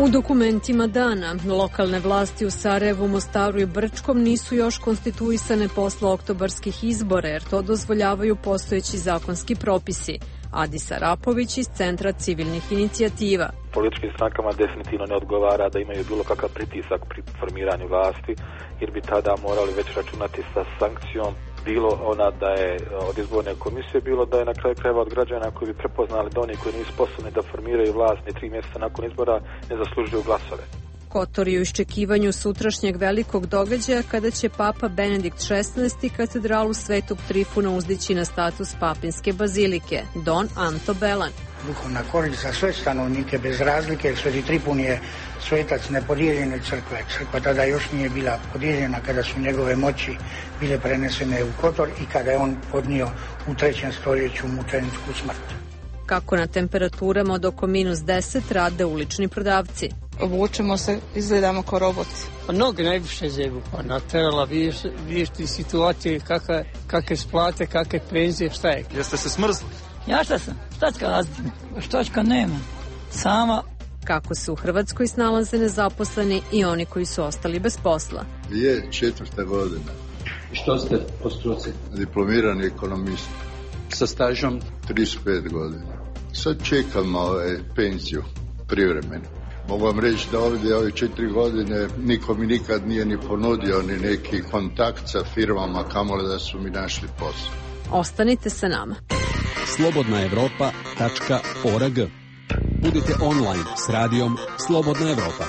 Speaker 1: U dokumentima dana, lokalne vlasti u Sarajevu, Mostaru i Brčkom nisu još konstituisane posle oktobarskih izbora, jer to dozvoljavaju postojeći zakonski propisi. Adis Arapović iz Centra civilnih inicijativa.
Speaker 12: Političkim strankama definitivno ne odgovara da imaju bilo kakav pritisak pri formiranju vlasti, jer bi tada morali već računati sa sankcijom, bilo ona da je od izborne komisije, bilo da je na kraju krajeva od građana koji bi prepoznali da oni koji nisu sposobni da formiraju vlast ni tri mjeseca nakon izbora ne zaslužuju glasove.
Speaker 1: Kotor je u iščekivanju sutrašnjeg velikog događaja kada će Papa Benedikt šesnaesti katedralu Svetog Trifuna uzdići na status papinske bazilike. Don Anto Belan.
Speaker 13: Duhovna korist za sve stanovnike bez razlike, Sveti Trifun je svetac nepodijeljene crkve. Crkva tada još nije bila podijeljena kada su njegove moći bile prenesene u Kotor i kada je on podnio u trećem stoljeću mučeničku smrt.
Speaker 1: Kako na temperaturama od oko minus deset rade ulični prodavci.
Speaker 14: Obučemo se, izgledamo kao roboti.
Speaker 16: Pa noge najviše zebu, pa naterala, vidiš, vidiš ti situacije, kakve, kakve splate, kakve penzije, šta je.
Speaker 17: Jeste se smrzli?
Speaker 16: Ja šta sam, štačka razlika, štačka nema, sama.
Speaker 1: Kako se u Hrvatskoj snalaze nezaposleni i oni koji su ostali bez posla.
Speaker 18: Je četvrta godina.
Speaker 17: I što ste po struci?
Speaker 18: Diplomirani ekonomist.
Speaker 17: Sa stažom?
Speaker 18: trideset pet godina. Sad čekam ove, penziju, privremenu. Mogu vam reći da ovdje ove četiri godine niko mi nikad nije ni ponudio ni neki kontakt sa firmama, kamoli da su mi našli posao.
Speaker 1: Ostanite sa nama.
Speaker 28: slobodna evropa tačka org. Budite online s radijom Slobodna Evropa.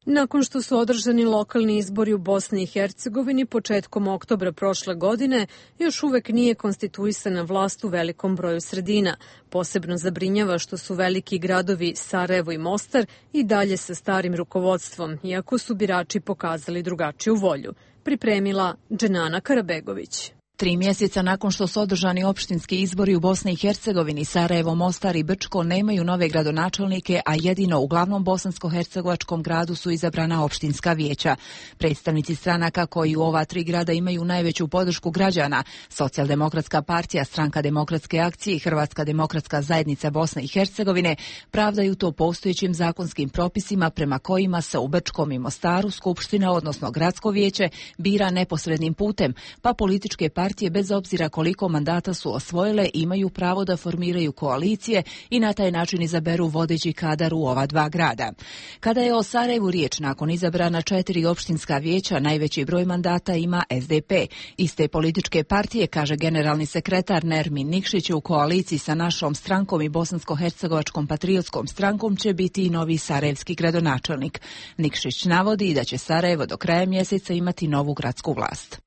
Speaker 1: Nakon što su održani lokalni izbori u Bosni i Hercegovini početkom oktobra prošle godine, još uvek nije konstituisana vlast u velikom broju sredina. Posebno zabrinjava što su veliki gradovi Sarajevo i Mostar i dalje sa starim rukovodstvom, iako su birači pokazali drugačiju volju. Pripremila Dženana Karabegović.
Speaker 29: Tri mjeseca nakon što su održani opštinski izbori u Bosni i Hercegovini, Sarajevo, Mostar i Brčko nemaju nove gradonačelnike, a jedino u glavnom bosansko-hercegovačkom gradu su izabrana opštinska vijeća. Predstavnici stranaka koji u ova tri grada imaju najveću podršku građana, Socijaldemokratska partija, Stranka demokratske akcije i Hrvatska demokratska zajednica Bosne i Hercegovine, pravdaju to postojećim zakonskim propisima prema kojima se u Brčkom i Mostaru skupština, odnosno gradsko vijeće, bira neposrednim putem, pa političke partije Partije, bez obzira koliko mandata su osvojile, imaju pravo da formiraju koalicije i na taj način izaberu vodeći kadar u ova dva grada. Kada je o Sarajevu riječ, nakon izabrana četiri opštinska vijeća, najveći broj mandata ima S D P. Iste političke partije, kaže generalni sekretar Nermin Nikšić, u koaliciji sa našom strankom i Bosansko-hercegovačkom patriotskom strankom će biti i novi sarajevski gradonačelnik. Nikšić navodi da će Sarajevo do kraja mjeseca imati novu gradsku vlast.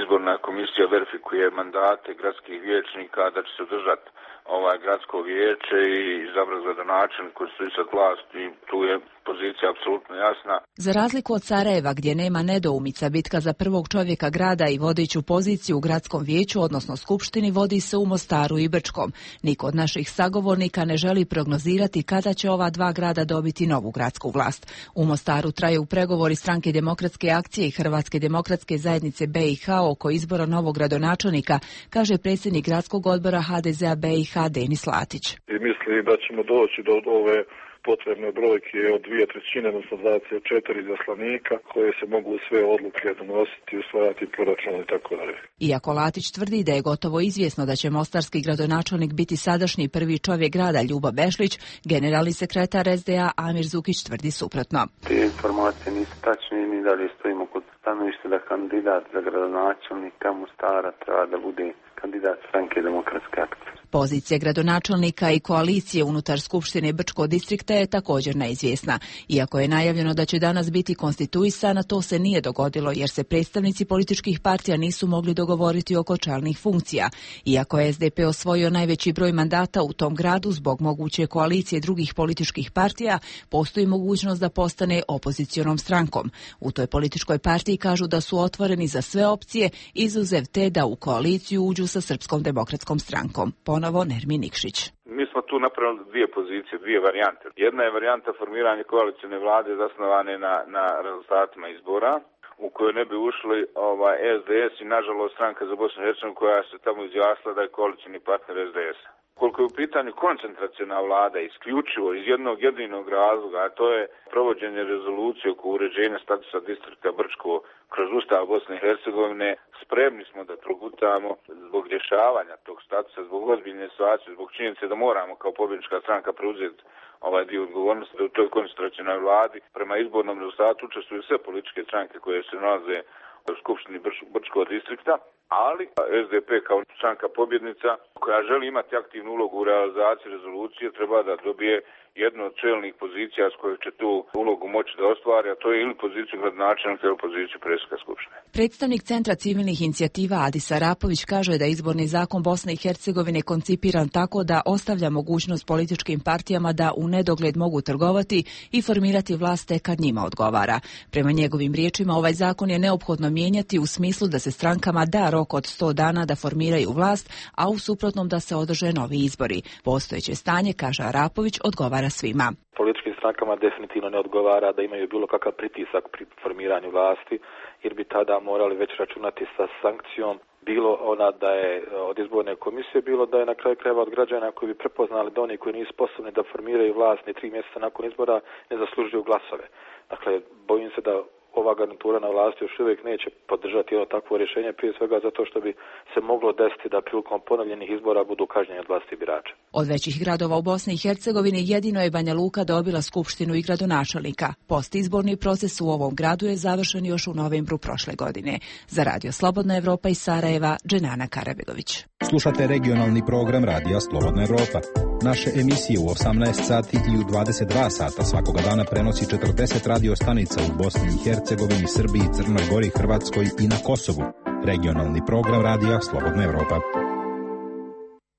Speaker 30: Izborna komisija verifikuje mandate gradskih vijećnika, da će se održati ovaj gradsko vijeće i izabrati gradonačelnik koji su sad vlast i tu je pozicija apsolutno jasna.
Speaker 29: Za razliku od Sarajeva, gdje nema nedoumica, bitka za prvog čovjeka grada i vodeću poziciju u gradskom vijeću, odnosno skupštini, vodi se u Mostaru i Brčkom. Niko od naših sagovornika ne želi prognozirati kada će ova dva grada dobiti novu gradsku vlast. U Mostaru traju pregovori Stranke demokratske akcije i Hrvatske demokratske zajednice B i H oko izbora novog gradonačelnika, kaže predsjednik gradskog odbora H D Z-a B i H Denis Latić.
Speaker 31: I misli da ćemo doći do ove potrebne brojke od dvije trećine, odnosno dvadeset četiri zaslanika koje se mogu sve odluke donositi, usvajati proračun i tako dalje.
Speaker 29: Iako Latić tvrdi da je gotovo izvjesno da će mostarski gradonačelnik biti sadašnji prvi čovjek grada Ljubo Bešlić, generalni sekretar S D A Amir Zukić tvrdi suprotno.
Speaker 32: Te informacije nisu tačne i mi dalje stojimo kod stanovišta da kandidat za gradonačelnika Mostara treba da bude kandidat Stranke demokratske akcije.
Speaker 29: Pozicija gradonačelnika i koalicije unutar Skupštine Brčkog distrikta je također neizvjesna. Iako je najavljeno da će danas biti konstituisana, to se nije dogodilo jer se predstavnici političkih partija nisu mogli dogovoriti oko čelnih funkcija. Iako je S D P osvojio najveći broj mandata u tom gradu zbog moguće koalicije drugih političkih partija, postoji mogućnost da postane opozicionom strankom. U toj političkoj partiji kažu da su otvoreni za sve opcije, izuzev te da u koaliciju uđu sa Srpskom demokratskom strankom. Ponovo Nermin Nikšić.
Speaker 30: Mi smo tu napravili dvije pozicije, dvije varijante. Jedna je varijanta formiranja koalicijne vlade zasnovane na, na rezultatima izbora. U u kojoj ne bi ušli ovaj, S D S i nažalost stranka za Bosnu i Hercegovinu koja se tamo izjasnila da je koalicijni partner S D S-a. Koliko je u pitanju koncentraciona vlada isključivo iz jednog jedinog razloga, a to je provođenje rezolucije oko uređenja statusa distrikta Brčko kroz Ustav Bosne i Hercegovine, spremni smo da progutamo zbog rješavanja tog statusa, zbog ozbiljne situacije, zbog činjenice da moramo kao pobjednička stranka preuzeti ovaj dio odgovornosti da u toj koncentracionoj vladi prema izbornom rezultatu učestvuju sve političke stranke koje se nalaze u Skupštini Brčkog distrikta, ali S D P kao stranka pobjednica koja želi imati aktivnu ulogu u realizaciji rezolucije treba da dobije jednu od čelnih pozicija s kojoj će tu ulogu moći da ostvari, a to je ili poziciju gradonačelnika ili poziciju predsjednika Skupštine.
Speaker 29: Predstavnik Centra civilnih inicijativa Adis Arapović kaže da je izborni zakon Bosne i Hercegovine koncipiran tako da ostavlja mogućnost političkim partijama da u nedogled mogu trgovati i formirati vlast kad njima odgovara. Prema njegovim riječima ovaj zakon je neophodno mijenjati u smislu da se strankama da rok od sto dana da formiraju vlast, a u suprotnom da se održe novi izbori. Postojeće stanje, kaže Arapović, odgovara svima.
Speaker 12: Političkim strankama definitivno ne odgovara da imaju bilo kakav pritisak pri formiranju vlasti, jer bi tada morali već računati sa sankcijom, bilo ona da je od izborne komisije, bilo da je na kraju krajeva od građana koji bi prepoznali da oni koji nisu sposobni da formiraju vlast ni tri mjeseca nakon izbora ne zaslužuju glasove. Dakle, bojim se da ova garnitura na vlasti još uvijek neće podržati ono takvo rješenje, prije svega zato što bi se moglo desiti da prilikom ponovljenih izbora budu kažnjeni od vlasti birača.
Speaker 29: Od većih gradova u Bosni i Hercegovini jedino je Banja Luka dobila skupštinu i gradonačelnika. Postizborni proces u ovom gradu je završen još u novembru prošle godine. Za Radio Slobodna Evropa iz Sarajeva, Dženana Karabegović.
Speaker 5: Slušate regionalni program Radija Slobodna Evropa. Naše emisije u osamnaest sati i u dvadeset dva sata svakoga dana prenosi četrdeset radio stanica u Bosni i Hercegovini, Srbiji, Crnoj Gori, Hrvatskoj i na Kosovu. Regionalni program Radija Slobodna Evropa.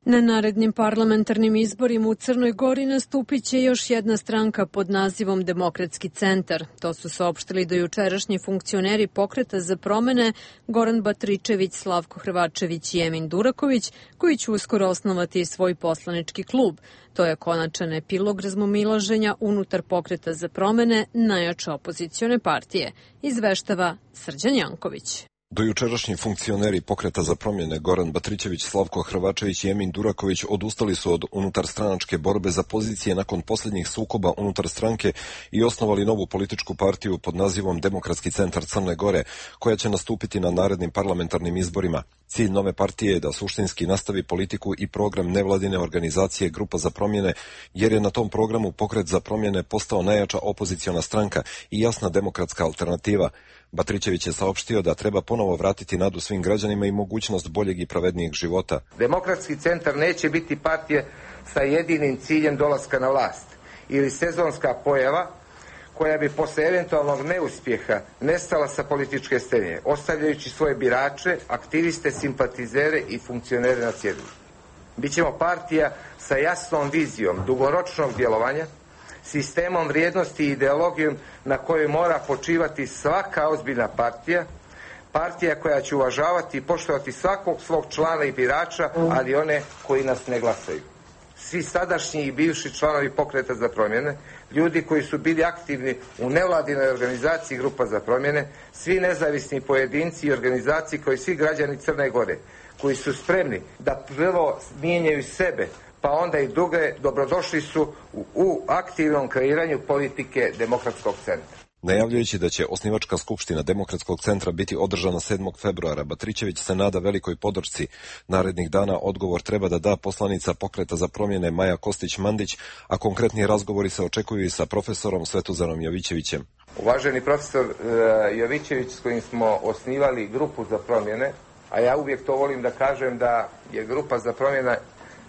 Speaker 1: Na narednim parlamentarnim izborima u Crnoj Gori nastupit će još jedna stranka pod nazivom Demokratski centar. To su saopštili dojučerašnji funkcioneri Pokreta za promene Goran Batričević, Slavko Hrvačević i Emin Duraković, koji će uskoro osnovati svoj poslanički klub. To je konačan epilog razmomilaženja unutar Pokreta za promene najjače opozicione partije, izveštava Srđan Janković.
Speaker 7: Dojučerašnji funkcioneri Pokreta za promjene Goran Batričević, Slavko Hrvačević i Emin Duraković odustali su od unutarstranačke borbe za pozicije nakon posljednjih sukoba unutar stranke i osnovali novu političku partiju pod nazivom Demokratski centar Crne Gore, koja će nastupiti na narednim parlamentarnim izborima. Cilj nove partije je da suštinski nastavi politiku i program nevladine organizacije Grupa za promjene, jer je na tom programu Pokret za promjene postao najjača opoziciona stranka i jasna demokratska alternativa. Batričević je saopštio da treba ponovo vratiti nadu svim građanima i mogućnost boljeg i pravednijeg života.
Speaker 8: Demokratski centar neće biti partija sa jedinim ciljem dolaska na vlast ili sezonska pojava koja bi posle eventualnog neuspjeha nestala sa političke scene, ostavljajući svoje birače, aktiviste, simpatizere i funkcionere na cjedilu. Bićemo partija sa jasnom vizijom dugoročnog djelovanja, sistemom vrijednosti i ideologijom na kojoj mora počivati svaka ozbiljna partija, partija koja će uvažavati i poštovati svakog svog člana i birača, ali one koji nas ne glasaju. Svi sadašnji i bivši članovi Pokreta za promjene, ljudi koji su bili aktivni u nevladinoj organizaciji Grupa za promjene, svi nezavisni pojedinci i organizaciji koji svi građani Crne Gore, koji su spremni da prvo mijenjaju sebe, pa onda i druge, dobrodošli su u, u aktivnom kreiranju politike Demokratskog centra.
Speaker 7: Najavljujući da će osnivačka skupština Demokratskog centra biti održana sedmog februara, Batričević se nada velikoj podršci. Narednih dana odgovor treba da da poslanica Pokreta za promjene Maja Kostić-Mandić, a konkretni razgovori se očekuju i sa profesorom Svetozarom Jovićevićem.
Speaker 8: Uvaženi profesor uh, Jovićević, s kojim smo osnivali Grupu za promjene, a ja uvijek to volim da kažem da je Grupa za promjene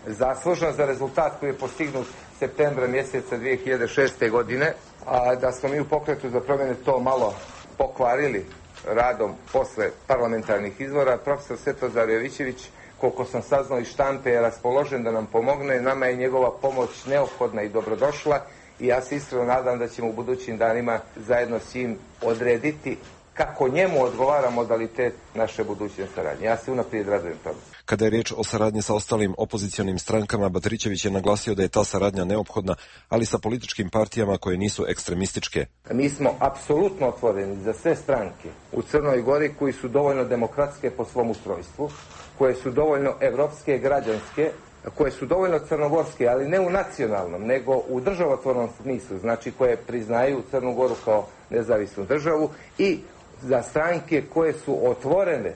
Speaker 8: zaslužna za rezultat koji je postignut septembra mjeseca dvije hiljade šeste. godine, a da smo mi u Pokretu za promjene to malo pokvarili radom posle parlamentarnih izbora. Profesor Svetozar Jovićević, koliko sam saznao iz štampe, je raspoložen da nam pomogne. Nama je njegova pomoć neophodna i dobrodošla i ja se iskreno nadam da ćemo u budućim danima zajedno s njim odrediti kako njemu odgovara modalitet naše buduće saradnje. Ja se unaprijed radujem tome.
Speaker 7: Kada je riječ o saradnji sa ostalim opozicionim strankama, Batričević je naglasio da je ta saradnja neophodna, ali sa političkim partijama koje nisu ekstremističke.
Speaker 8: Mi smo apsolutno otvoreni za sve stranke u Crnoj Gori koji su dovoljno demokratske po svom ustrojstvu, koje su dovoljno evropske, građanske, koje su dovoljno crnogorske, ali ne u nacionalnom, nego u državotvornom smislu, znači koje priznaju Crnu Goru kao nezavisnu državu, i za stranke koje su otvorene,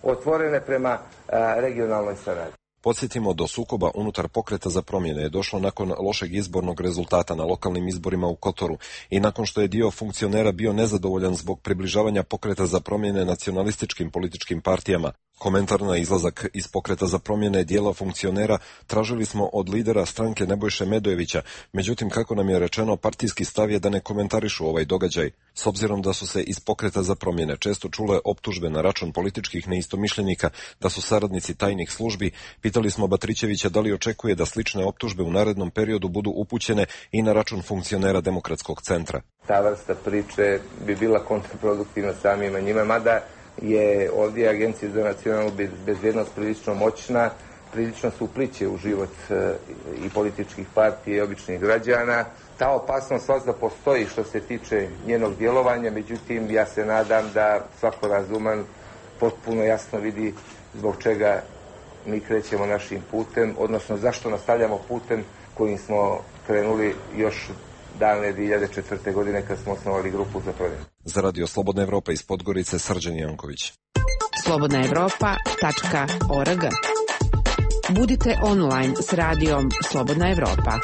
Speaker 8: otvorene prema a, regionalnoj saradnji.
Speaker 7: Podsjetimo, do sukoba unutar Pokreta za promjene je došlo nakon lošeg izbornog rezultata na lokalnim izborima u Kotoru i nakon što je dio funkcionera bio nezadovoljan zbog približavanja Pokreta za promjene nacionalističkim političkim partijama. Komentar na izlazak iz Pokreta za promjene dijela funkcionera tražili smo od lidera stranke Nebojše Medojevića, međutim, kako nam je rečeno, partijski stav je da ne komentarišu ovaj događaj. S obzirom da su se iz Pokreta za promjene često čule optužbe na račun političkih neistomišljenika da su saradnici tajnih službi, pitali smo Batričevića da li očekuje da slične optužbe u narednom periodu budu upućene i na račun funkcionera Demokratskog centra.
Speaker 8: Ta vrsta priče bi bila kontraproduktivna samima njima, mada je ovdje Agencija za nacionalnu bezbjednost prilično moćna, prilično se upliće u život e, i političkih partija i običnih građana. Ta opasnost svakako postoji što se tiče njenog djelovanja, međutim ja se nadam da svako razuman potpuno jasno vidi zbog čega mi krećemo našim putem, odnosno zašto nastavljamo putem kojim smo krenuli još davne dvije hiljade četvrte. godine kad smo osnovali grupu za promjenu.
Speaker 7: Za Radio Slobodna Evropa iz Podgorice, Srđan Janković.
Speaker 3: slobodna evropa tačka org. Budite online s radijom Slobodna Evropa.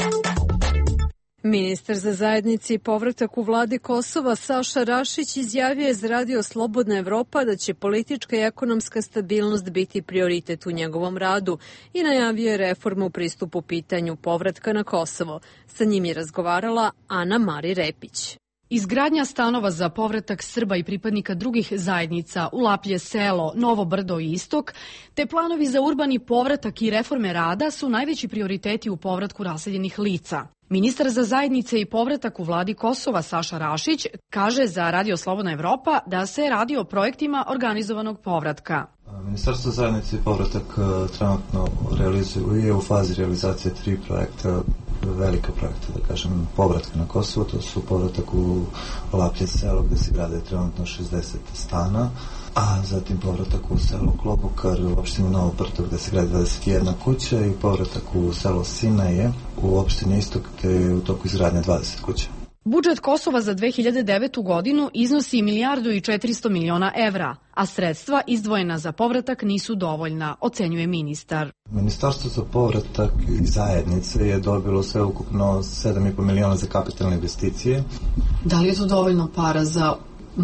Speaker 1: Ministar za zajednici i povratak u vladi Kosova Saša Rašić izjavio je za Radio Slobodna Evropa da će politička i ekonomska stabilnost biti prioritet u njegovom radu i najavio je reformu u pristupu pitanju povratka na Kosovo. Sa njim je razgovarala Ana Mari Repić.
Speaker 6: Izgradnja stanova za povratak Srba i pripadnika drugih zajednica u Laplje selo, Novo Brdo i Istok, te planovi za urbani povratak i reforme rada su najveći prioriteti u povratku raseljenih lica. Ministar za zajednice i povratak u vladi Kosova Saša Rašić kaže za Radio Slobodna Evropa da se radi o projektima organizovanog povratka.
Speaker 15: Ministarstvo zajednice i povratak trenutno realizuje, je u fazi realizacije tri projekta, velika projekta, da kažem, povratka na Kosovo. To su povratak u Laplje selo gde se grade trenutno šezdeset stana, a zatim povratak u selo Klobokar u opštini Novo Brdo gde se gradi dvadeset jedna kuća i povratak u selo Sinaje u opštini Istok gde je u toku izgradnje dvadeset kuća.
Speaker 6: Budžet Kosova za dve hiljade devetu. godinu iznosi milijardu i četiristo miliona evra, a sredstva izdvojena za povratak nisu dovoljna, ocenjuje ministar.
Speaker 15: Ministarstvo za povratak i zajednice je dobilo sve ukupno sedam i po miliona za kapitalne investicije.
Speaker 6: Da li je to dovoljno para za,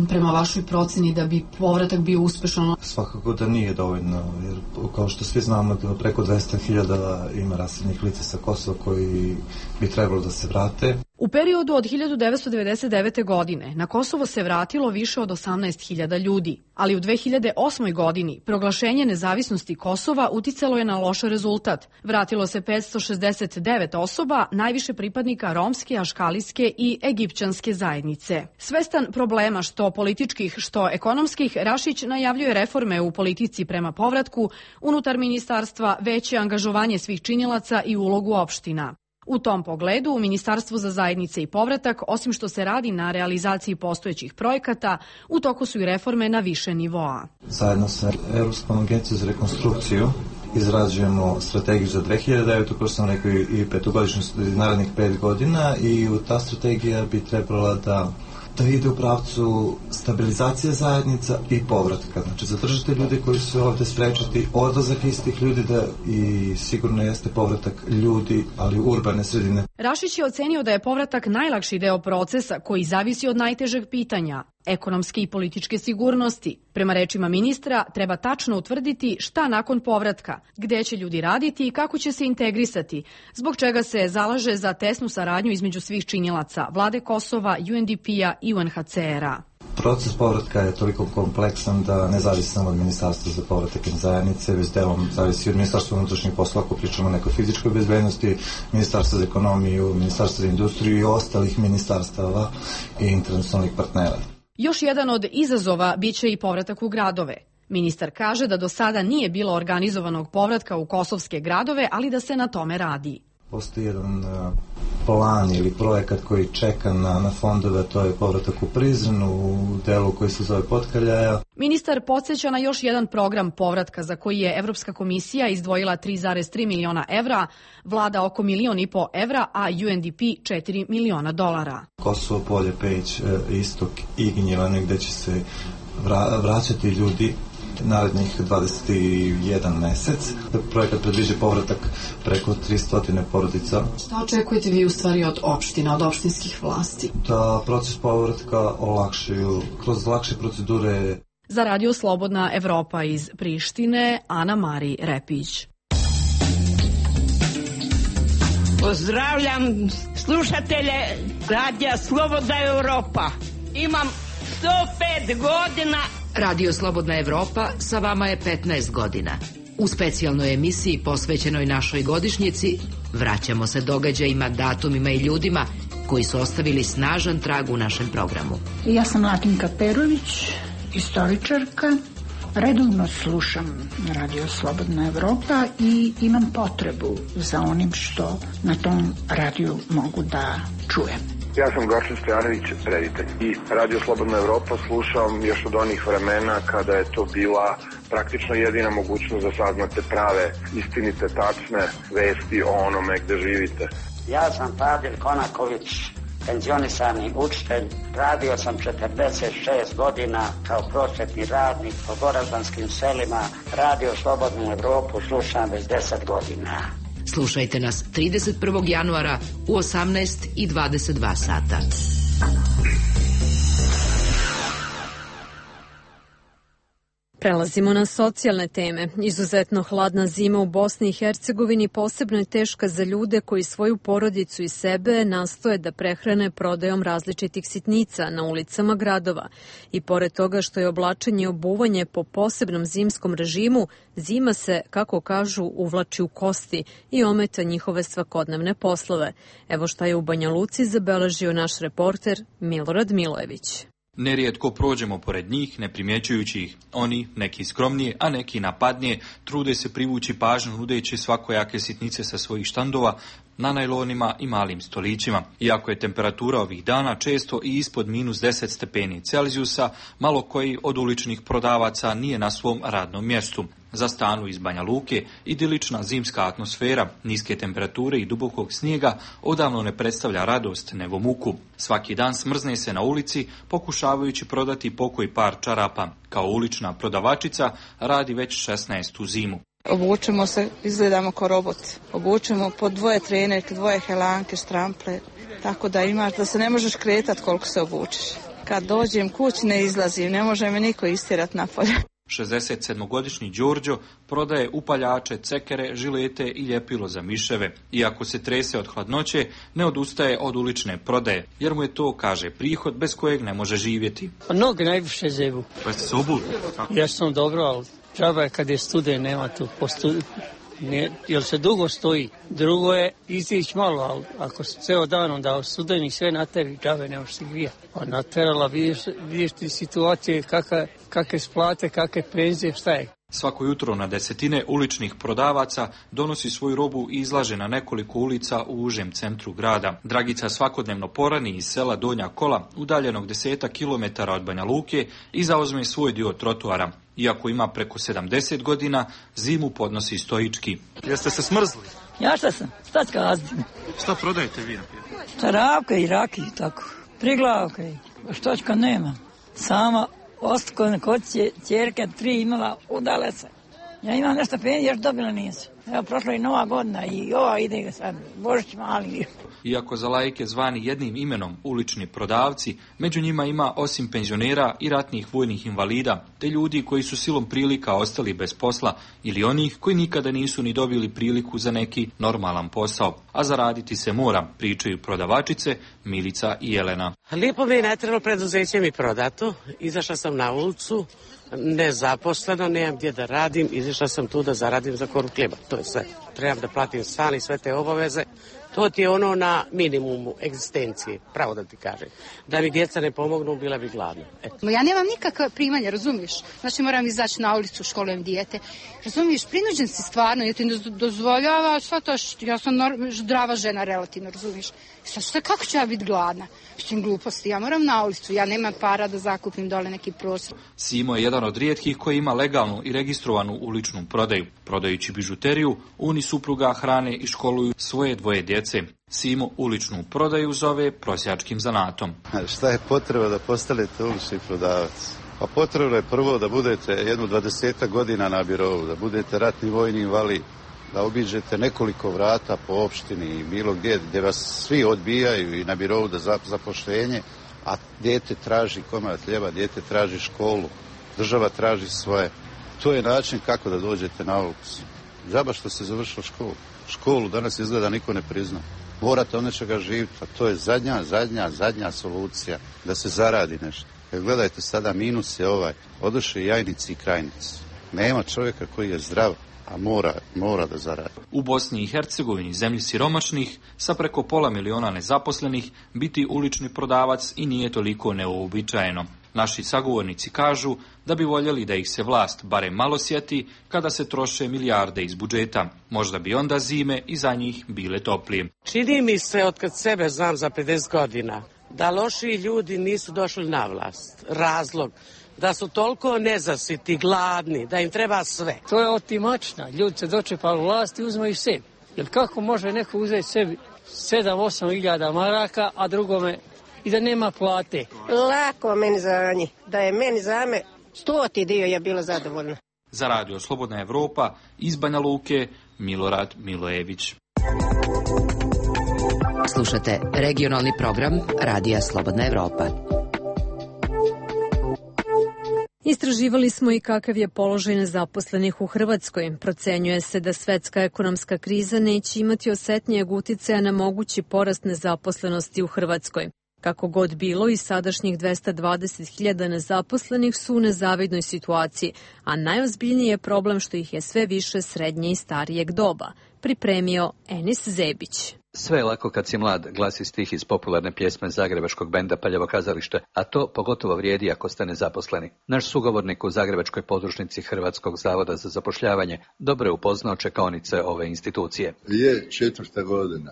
Speaker 6: prema vašoj proceni, da bi povratak bio uspešan?
Speaker 15: Svakako da nije dovoljno, jer kao što svi znamo da preko dvesta hiljada ima raseljenih lica sa Kosova koji bi trebalo da se vrate.
Speaker 6: U periodu od hiljadu devetsto devedeset devete. godine na Kosovo se vratilo više od osamnaest hiljada ljudi, ali u dve hiljade osmoj. godini proglašenje nezavisnosti Kosova uticalo je na loš rezultat. Vratilo se petsto šezdeset devet osoba, najviše pripadnika romske, aškalijske i egipćanske zajednice. Svestan problema što političkih, što ekonomskih, Rašić najavljuje reforme u politici prema povratku, unutar ministarstva, veće angažovanje svih činilaca i ulogu opština. U tom pogledu, u Ministarstvu za zajednice i povratak, osim što se radi na realizaciji postojećih projekata, u toku su i reforme na više nivoa.
Speaker 15: Zajedno sa Evropskom agencijom za rekonstrukciju izrađujemo strategiju za dve hiljade devetu. kao što sam rekao, i petogodišnju narednih pet godina i ta strategija bi trebala da da ide u pravcu stabilizacije zajednica i povratka. Znači, zadržati ljude koji su ovde, sprečiti odlazak istih ljudi da i sigurno jeste povratak ljudi, ali u urbane sredine.
Speaker 6: Rašić je ocenio da je povratak najlakši deo procesa koji zavisi od najtežeg pitanja, ekonomske i političke sigurnosti. Prema rečima ministra, treba tačno utvrditi šta nakon povratka, gde će ljudi raditi i kako će se integrisati, zbog čega se zalaže za tesnu saradnju između svih činilaca, vlade Kosova, U N D P-a i U N H C R-a.
Speaker 15: Proces povratka je toliko kompleksan da ne zavisi samo od Ministarstva za povratak i zajednice, već delom zavisi od Ministarstva unutrašnjih poslova, ako pričamo o nekoj fizičkoj bezbednosti, Ministarstva za ekonomiju, Ministarstva za industriju i ostalih ministarstava i internacionalnih partnera.
Speaker 6: Još jedan od izazova biće i povratak u gradove. Ministar kaže da do sada nije bilo organizovanog povratka u kosovske gradove, ali da se na tome radi.
Speaker 15: Postoji jedan plan ili projekat koji čeka na, na fondove, to je povratak u Prizren, u delu koji se zove Potkaljaja.
Speaker 6: Ministar podsjeća na još jedan program povratka za koji je Evropska komisija izdvojila tri zarez tri miliona evra, vlada oko milion i po evra, a U N D P četiri miliona dolara.
Speaker 15: Kosovo, Polje, Peć, Istok i Gnjilane, gde će se vra, vraćati ljudi narednih dvadeset jedan mesec. Projekat predviđa povratak preko tristo porodica.
Speaker 6: Šta očekujete vi u stvari od opština, od opštinskih vlasti?
Speaker 15: Da proces povratka olakšaju kroz lakše procedure.
Speaker 6: Za Radio Slobodna Evropa iz Prištine, Ana Mari Repić.
Speaker 4: Pozdravljam slušatelje Radija Slobodna Evropa. Imam sto pet godina.
Speaker 9: Radio Slobodna Evropa sa vama je petnaest godina. U specijalnoj emisiji posvećenoj našoj godišnjici vraćamo se događajima, datumima i ljudima koji su ostavili snažan trag u našem programu.
Speaker 10: Ja sam Latinka Perović, istoričarka. Redovno slušam Radio Slobodna Evropa i imam potrebu za onim što na tom radiju mogu da čujem.
Speaker 19: Ja sam Gorčin Stojanović, reditelj. I Radio Slobodna Evropa slušam još od onih vremena kada je to bila praktično jedina mogućnost da saznate prave, istinite, tačne vesti o onome gde živite.
Speaker 20: Ja sam Fadil Konaković, penzionisani učitelj. Radio sam četrdeset šest godina kao prosvetni radnik po goraždanskim selima. Radio Slobodnu Evropu slušam već deset godina.
Speaker 9: Slušajte nas trideset prvog januara u osamnaest i dvadeset dva sata.
Speaker 1: Prelazimo na socijalne teme. Izuzetno hladna zima u Bosni i Hercegovini posebno je teška za ljude koji svoju porodicu i sebe nastoje da prehrane prodajom različitih sitnica na ulicama gradova. I pored toga što je oblačenje i obuvanje po posebnom zimskom režimu, zima se, kako kažu, uvlači u kosti i ometa njihove svakodnevne poslove. Evo šta je u Banja Luci zabeležio naš reporter Milorad Milojević.
Speaker 21: Nerijetko prođemo pored njih, ne primjećujući ih. Oni, neki skromnije, a neki napadnije, trude se privući pažnju nudeći svakojake sitnice sa svojih štandova na najlonima i malim stolićima. Iako je temperatura ovih dana često i ispod minus deset stepeni Celzijusa, malo koji od uličnih prodavaca nije na svom radnom mjestu. Za stanu iz Banja Luke idilična zimska atmosfera, niske temperature i dubokog snijega odavno ne predstavlja radost nego muku. Svaki dan smrzne se na ulici pokušavajući prodati pokoji par čarapa. Kao ulična prodavačica radi već šesnaestu zimu.
Speaker 14: Obučemo se, izgledamo kao roboti. Obučemo po dvoje trenerke, dvoje helanke, štrample, tako da imaš da se ne možeš kretati koliko se obučeš. Kad dođem kući ne izlazim, ne može me niko istjerati napolje.
Speaker 21: šezdesetsedmogodišnji Đorđo prodaje upaljače, cekere, žilete i ljepilo za miševe. Iako se trese od hladnoće, ne odustaje od ulične prodaje, jer mu je to, kaže, prihod bez kojeg ne može živjeti.
Speaker 16: Noge najviše zebu.
Speaker 21: Pa ste se obuli?
Speaker 16: Ja sam dobro, ali džaba je kad je studen, nema tu postu... Ne, jer se dugo stoji. Drugo je izići malo, ali ako se ceo dan onda studeni sve na tebi, džave ne možeš se grijati. A naterala vidiš, vidiš ti situacije kakve, kakve splate, kakve penzije, šta je.
Speaker 21: Svako jutro na desetine uličnih prodavaca donosi svoju robu i izlaže na nekoliko ulica u užem centru grada. Dragica svakodnevno porani iz sela Donja Kola, udaljenog deseta kilometara od Banja Luke, i zauzme svoj dio trotoara. Iako ima preko sedamdeset godina, zimu podnosi stoički. Jeste se smrzli?
Speaker 22: Ja šta sam, šta skazdim.
Speaker 21: Šta prodajete vi?
Speaker 22: Čarapke i raki i tako. Priglavke, štočka nema. Sama ostako kod ćerke tri imala, udale se. Ja imam nešto penzije, još dobila nisu. Evo, prošla i nova godina i ova ide sad, Božić mali.
Speaker 21: Iako za laike zvani jednim imenom ulični prodavci, među njima ima osim penzionera i ratnih vojnih invalida, te ljudi koji su silom prilika ostali bez posla ili onih koji nikada nisu ni dobili priliku za neki normalan posao. A zaraditi se mora, pričaju prodavačice Milica i Jelena.
Speaker 23: Lijepo mi je najtrlo preduzeće mi prodato, izašla sam na ulicu, nezaposleno, nemam gdje da radim, izašla sam tu da zaradim za koru kljeba, to je sve. Trebam da platim stan i sve te obaveze, To ti je ono na minimumu egzistencije, pravo da ti kažem. Da mi djeca ne pomognu, bila bi gladna. Eto.
Speaker 2: Ja nemam nikakve primanja, razumiješ? Znači moram izaći na ulicu, školujem dijete. Razumiješ, prinuđen si stvarno, jer ti ne dozvoljava sva to što ja sam zdrava žena relativno, razumiješ? Sad šta, kako ću ja biti gladna? Mislim gluposti, ja moram na ulicu, ja nemam para da zakupim dole neki prostor.
Speaker 21: Simo je jedan od rijetkih koji ima legalnu i registrovanu uličnu prodaju. Prodajući bižuteriju, Uni supruga hrane i školuju svoje dvoje djece. Simo uličnu prodaju zove prosjačkim zanatom.
Speaker 11: Šta je potreba da postanete ulični prodavac? Pa potrebno je prvo da budete jednu dvadesetak godina na birovu, da budete ratni vojni invalid, da obiđete nekoliko vrata po opštini i bilo gdje gdje vas svi odbijaju i na birovu da zapošljenje, a dijete traži komad hljeba, dijete traži školu, država traži svoje. To je način kako da dođete na ulicu. Džaba što ste završili školu. Školu danas izgleda niko ne prizna. Morate od nečega živjeti, a to je zadnja, zadnja, zadnja solucija da se zaradi nešto. Jer gledajte sada, minus je ovaj, odošli jajnici i krajnici. Nema čovjeka koji je zdrav, a mora, mora da zaradi.
Speaker 21: U Bosni i Hercegovini, zemlji siromašnih, sa preko pola miliona nezaposlenih, biti ulični prodavac i nije toliko neuobičajeno. Naši sagovornici kažu da bi voljeli da ih se vlast barem malo sjeti kada se troše milijarde iz budžeta. Možda bi onda zime i za njih bile toplije.
Speaker 23: Čini mi se, od kad sebe znam za pedeset godina, da loši ljudi nisu došli na vlast. Razlog da su toliko nezasiti, gladni, da im treba sve.
Speaker 16: To je otimačna. Ljudi se dočepali vlasti i uzmaju sebi. Jer kako može neko uzeti sebi sedam osam hiljada maraka, a drugome i da nema plate?
Speaker 13: Lako meni za njih. Da je meni za me stoti dio je bila zadovoljna.
Speaker 21: Za Radio Slobodna Evropa iz Banja Luke, Milorad Milojević.
Speaker 9: Slušate regionalni program Radija Slobodna Evropa.
Speaker 1: Istraživali smo i kakav je položaj nezaposlenih u Hrvatskoj. Procenjuje se da svetska ekonomska kriza neće imati osetnijeg uticaja na mogući porast nezaposlenosti u Hrvatskoj. Kako god bilo, i sadašnjih dvesta dvadeset hiljada nezaposlenih su u nezavidnoj situaciji, a najozbiljniji je problem što ih je sve više srednje i starijeg doba. Pripremio Enis Zebić.
Speaker 17: Sve je lako kad si mlad, glasi stih iz popularne pjesme zagrebačkog benda Paljevo kazalište, a to pogotovo vrijedi ako ste nezaposleni. Naš sugovornik u zagrebačkoj podružnici Hrvatskog zavoda za zapošljavanje dobro je upoznao čekaonice ove institucije.
Speaker 18: Je četvrta godina.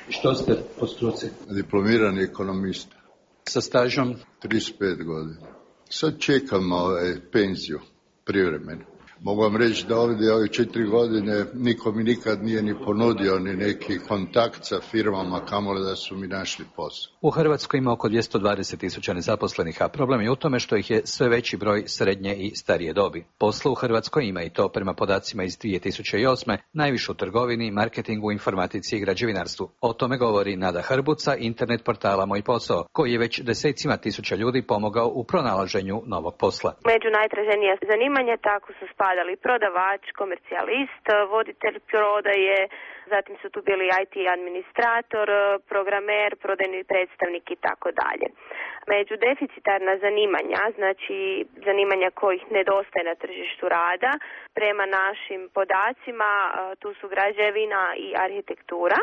Speaker 17: Što ste po struci?
Speaker 18: Diplomirani ekonomista.
Speaker 17: Sa stažom?
Speaker 18: trideset pet godina. Sad čekam ovaj, penziju, privremenu. Mogu vam reći da ovdje ove četiri godine niko mi nikad nije ni ponudio ni neki kontakt sa firmama, kamoli da su mi našli posao.
Speaker 17: U Hrvatskoj ima oko dvjesto dvadeset tisuća nezaposlenih, a problem je u tome što ih je sve veći broj srednje i starije dobi. Posla u Hrvatskoj ima i to prema podacima iz dvije tisuće osme, najviše u trgovini, marketingu, informatici i građevinarstvu. O tome govori Nada Hrbuca, internet portala Moj posao, koji je već desecima tisuća ljudi pomogao u pronalaženju novog posla.
Speaker 24: Među najtraženija zanimanja tako su spadali prodavač, komercijalist, voditelj prodaje, zatim su tu bili I T administrator, programer, prodajni predstavnik i tako dalje. Među deficitarna zanimanja, znači zanimanja kojih nedostaje na tržištu rada, prema našim podacima tu su građevina i arhitektura,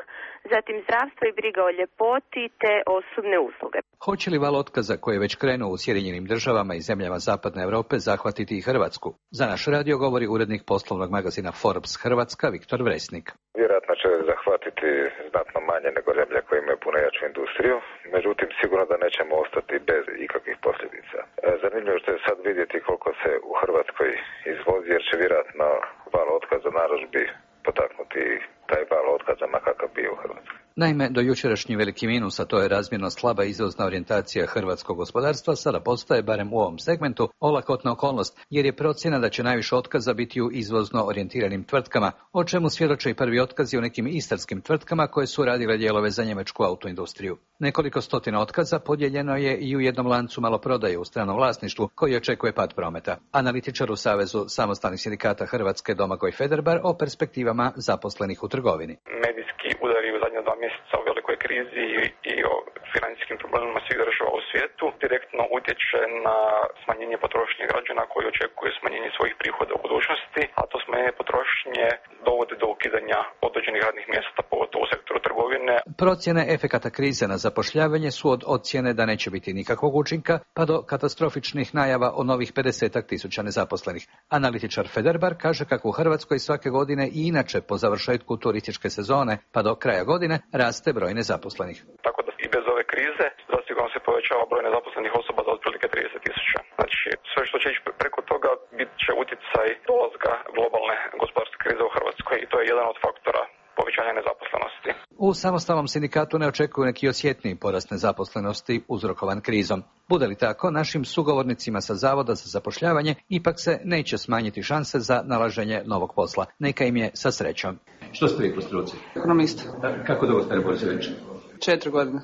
Speaker 24: zatim zdravstvo i briga o ljepoti te osobne usluge.
Speaker 17: Hoće li val otkaza koji je već krenuo u Sjedinjenim državama i zemljama Zapadne Europe zahvatiti i Hrvatsku? Za naš radio govori urednik poslovnog magazina Forbes Hrvatska Viktor Vresnik.
Speaker 25: Vjerojatno će zahvatiti znatno manje nego zemlje koje imaju puno jaču industriju, međutim sigurno da nećemo ostati bez ikakvih posljedica. Zanimljivo što je sad vidjeti koliko se u Hrvatskoj izvozi, jer će vjerojatno val otkaza narudžbi potaknuti taj val otkaza ma kakav bio u Hrvatskoj.
Speaker 17: Naime, do jučerašnji veliki minus, a to je razmjerno slaba izvozna orijentacija hrvatskog gospodarstva, sada postaje, barem u ovom segmentu, olakotna okolnost, jer je procjena da će najviše otkaza biti u izvozno orijentiranim tvrtkama, o čemu svjedoče i prvi otkazi u nekim istarskim tvrtkama koje su radile dijelove za njemačku autoindustriju. Nekoliko stotina otkaza podijeljeno je i u jednom lancu maloprodaje u stranom vlasništvu koji očekuje pad prometa. Analitičar u Savezu samostalnih sindikata Hrvatske Domagoj Federbar o perspektivama zaposlenih u trgovini.
Speaker 26: Medijski udari u zadnja dva
Speaker 3: mjeseca o velikoj krizi i o financijskim problemima svih država u svijetu direktno utječe na smanjenje potrošnje građana koji očekuju smanjenje svojih prihoda u budućnosti, a to smanjenje potrošnje dovodi do ukidanja određenih radnih mjesta, pogotovo u sektoru trgovine.
Speaker 17: Procjene efekata krize na zapošljavanje su od ocjene da neće biti nikakvog učinka, pa do katastrofičnih najava o novih pedesetak tisuća nezaposlenih. Analitičar Federbar kaže kako u Hrvatskoj svake godine i inače po završetku turističke sezone pa do kraja godine raste broj nezaposlenih.
Speaker 3: Tako da i bez ove krize zasigurno se povećava broj nezaposlenih osoba za otprilike trideset tisuća. Znači sve što će ići preko toga bit će utjecaj dolaska globalne gospodarske krize u Hrvatskoj i to je jedan od faktora povećanja nezaposlenosti.
Speaker 17: U samostalnom sindikatu ne očekuju neki osjetniji porast nezaposlenosti uzrokovan krizom. Bude li tako, našim sugovornicima sa Zavoda za zapošljavanje ipak se neće smanjiti šanse za nalaženje novog posla. Neka im je sa srećom. Što ste vi po struci?
Speaker 5: Ekonomista.
Speaker 17: Kako dugo ste na burzi već?
Speaker 5: Četiri godine.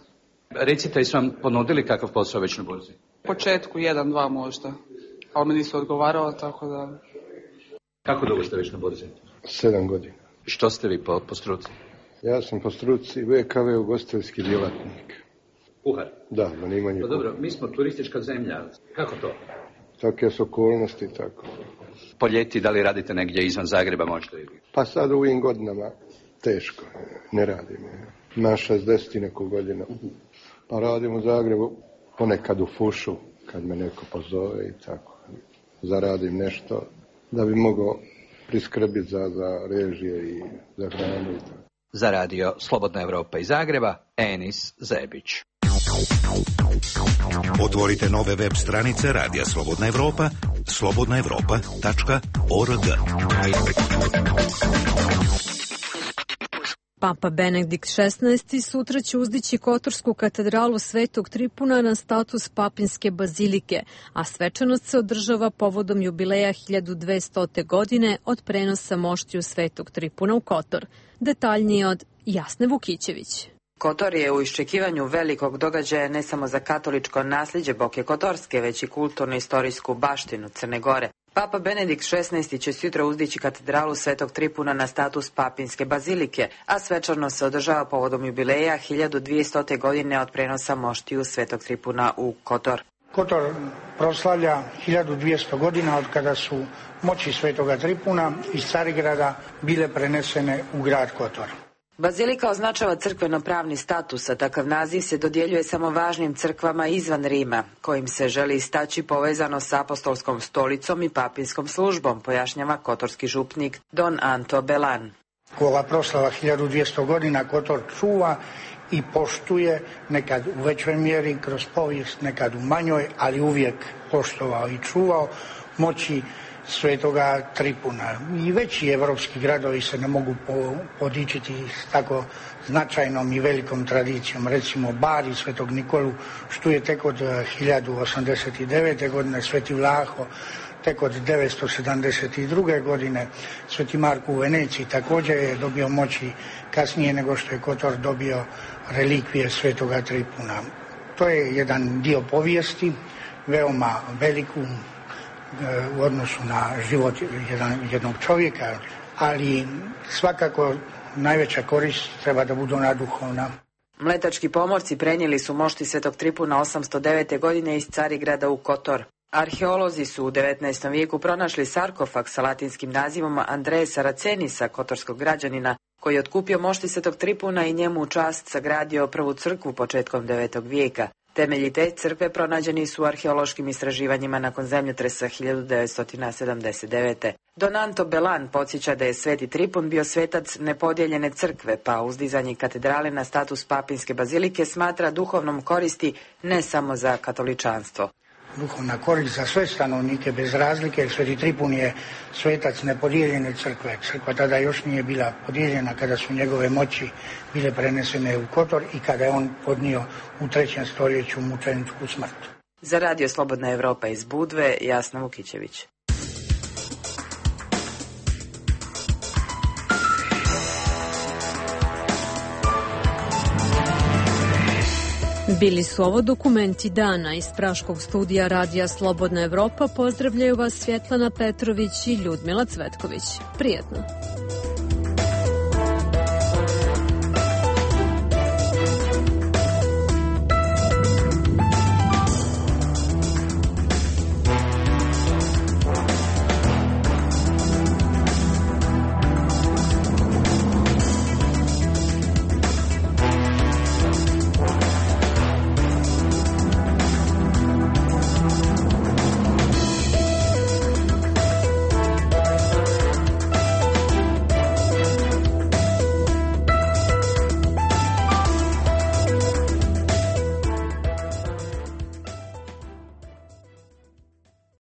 Speaker 17: Recite, su vam ponudili kakav posao već na burzi?
Speaker 5: U početku jedan, dva možda, ali mi nisu odgovarao, tako da...
Speaker 17: Kako dugo ste već na burzi?
Speaker 7: Sedam godina.
Speaker 17: Što ste vi po, po struci?
Speaker 7: Ja sam po struci V K V ugostiteljski djelatnik.
Speaker 17: Kuhar?
Speaker 7: Da, zanimanje.
Speaker 17: Pa dobro, mi smo turistička zemlja. Kako to?
Speaker 7: Takve su okolnosti, tako.
Speaker 17: Po ljeti, da li radite negdje izvan Zagreba možda ili?
Speaker 7: Pa sad u ovim godinama teško, ne radim. Na šezdeset i neku godina. Pa radim u Zagrebu, ponekad u fušu, kad me neko pozove i tako. Zaradim nešto da bi mogao priskrbiti za, za režije i za hranu i tako.
Speaker 17: Za radio Slobodna Evropa iz Zagreba, Enis Zebić.
Speaker 8: Otvorite nove web stranice Radija Slobodna Evropa, slobodna evropa tačka org.
Speaker 1: Papa Benedikt šesnaesti sutra će uzdići Kotorsku katedralu Svetog Tripuna na status papinske bazilike, a svečanost se održava povodom jubileja hiljadu dvestote godine od prenosa moštiju Svetog Tripuna u Kotor. Detaljnije od Jasne Vukićević.
Speaker 12: Kotor je u iščekivanju velikog događaja ne samo za katoličko nasljeđe Boke Kotorske, već i kulturno-istorijsku baštinu Crne Gore. Papa Benedikt šesnaesti će sutra uzdići katedralu Svetog Tripuna na status papinske bazilike, a svečanost se održava povodom jubileja hiljadu dvjestote godine od prenosa moštiju Svetog Tripuna u Kotor.
Speaker 10: Kotor proslavlja hiljadu dvjesto godina od kada su moći Svetoga Tripuna iz Carigrada bile prenesene u grad Kotor.
Speaker 12: Bazilika označava crkveno-pravni status, a takav naziv se dodjeljuje samo važnim crkvama izvan Rima, kojim se želi istaći povezano sa apostolskom stolicom i papinskom službom, pojašnjava kotorski župnik Don Anto Belan.
Speaker 10: Ova proslava hiljadu dvjesto godina Kotor čuva i poštuje, nekad u većoj mjeri kroz povijest, nekad u manjoj, ali uvijek poštovao i čuvao moći Svetoga Tripuna. I veći evropski gradovi se ne mogu podičiti s tako značajnom i velikom tradicijom. Recimo Bari Svetog Nikolu štuje tek od hiljadu osamdeset devete godine, Sveti Vlaho tek od devetsto sedamdeset druge godine, Sveti Marko u Veneciji također je dobio moći kasnije nego što je Kotor dobio relikvije Svetoga Tripuna. To je jedan dio povijesti, veoma veliku u odnosu na život jedan, jednog čovjeka, ali svakako najveća korist treba da budu ona duhovna.
Speaker 12: Mletački pomorci prenijeli su mošti Svetog Tripuna osamsto devete godine iz Carigrada u Kotor. Arheolozi su u devetnaestom vijeku pronašli sarkofag sa latinskim nazivom Andreja Saracenisa, kotorskog građanina, koji je otkupio mošti Svetog Tripuna i njemu u čast sagradio prvu crkvu početkom devetog vijeka. Temelji te crkve pronađeni su u arheološkim istraživanjima nakon zemljotresa hiljadu devetsto sedamdeset devete. Don Anto Belan podsjeća da je Sveti Tripun bio svetac nepodijeljene crkve, pa uzdizanje katedrale na status papinske bazilike smatra duhovnom koristi ne samo za katoličanstvo.
Speaker 10: Duhovna korist za sve stanovnike bez razlike, jer Sveti Tripun je svetac nepodijeljene crkve. Crkva tada još nije bila podijeljena kada su njegove moći bile prenesene u Kotor i kada je on podnio u trećem stoljeću mučeničku smrt.
Speaker 12: Za radio Slobodna Evropa iz Budve, Jasna Vukićević.
Speaker 1: Bili su ovo dokumenti dana iz Praškog studija Radija Slobodna Evropa. Pozdravljaju vas Svjetlana Petrović i Ljudmila Cvetković. Prijetno.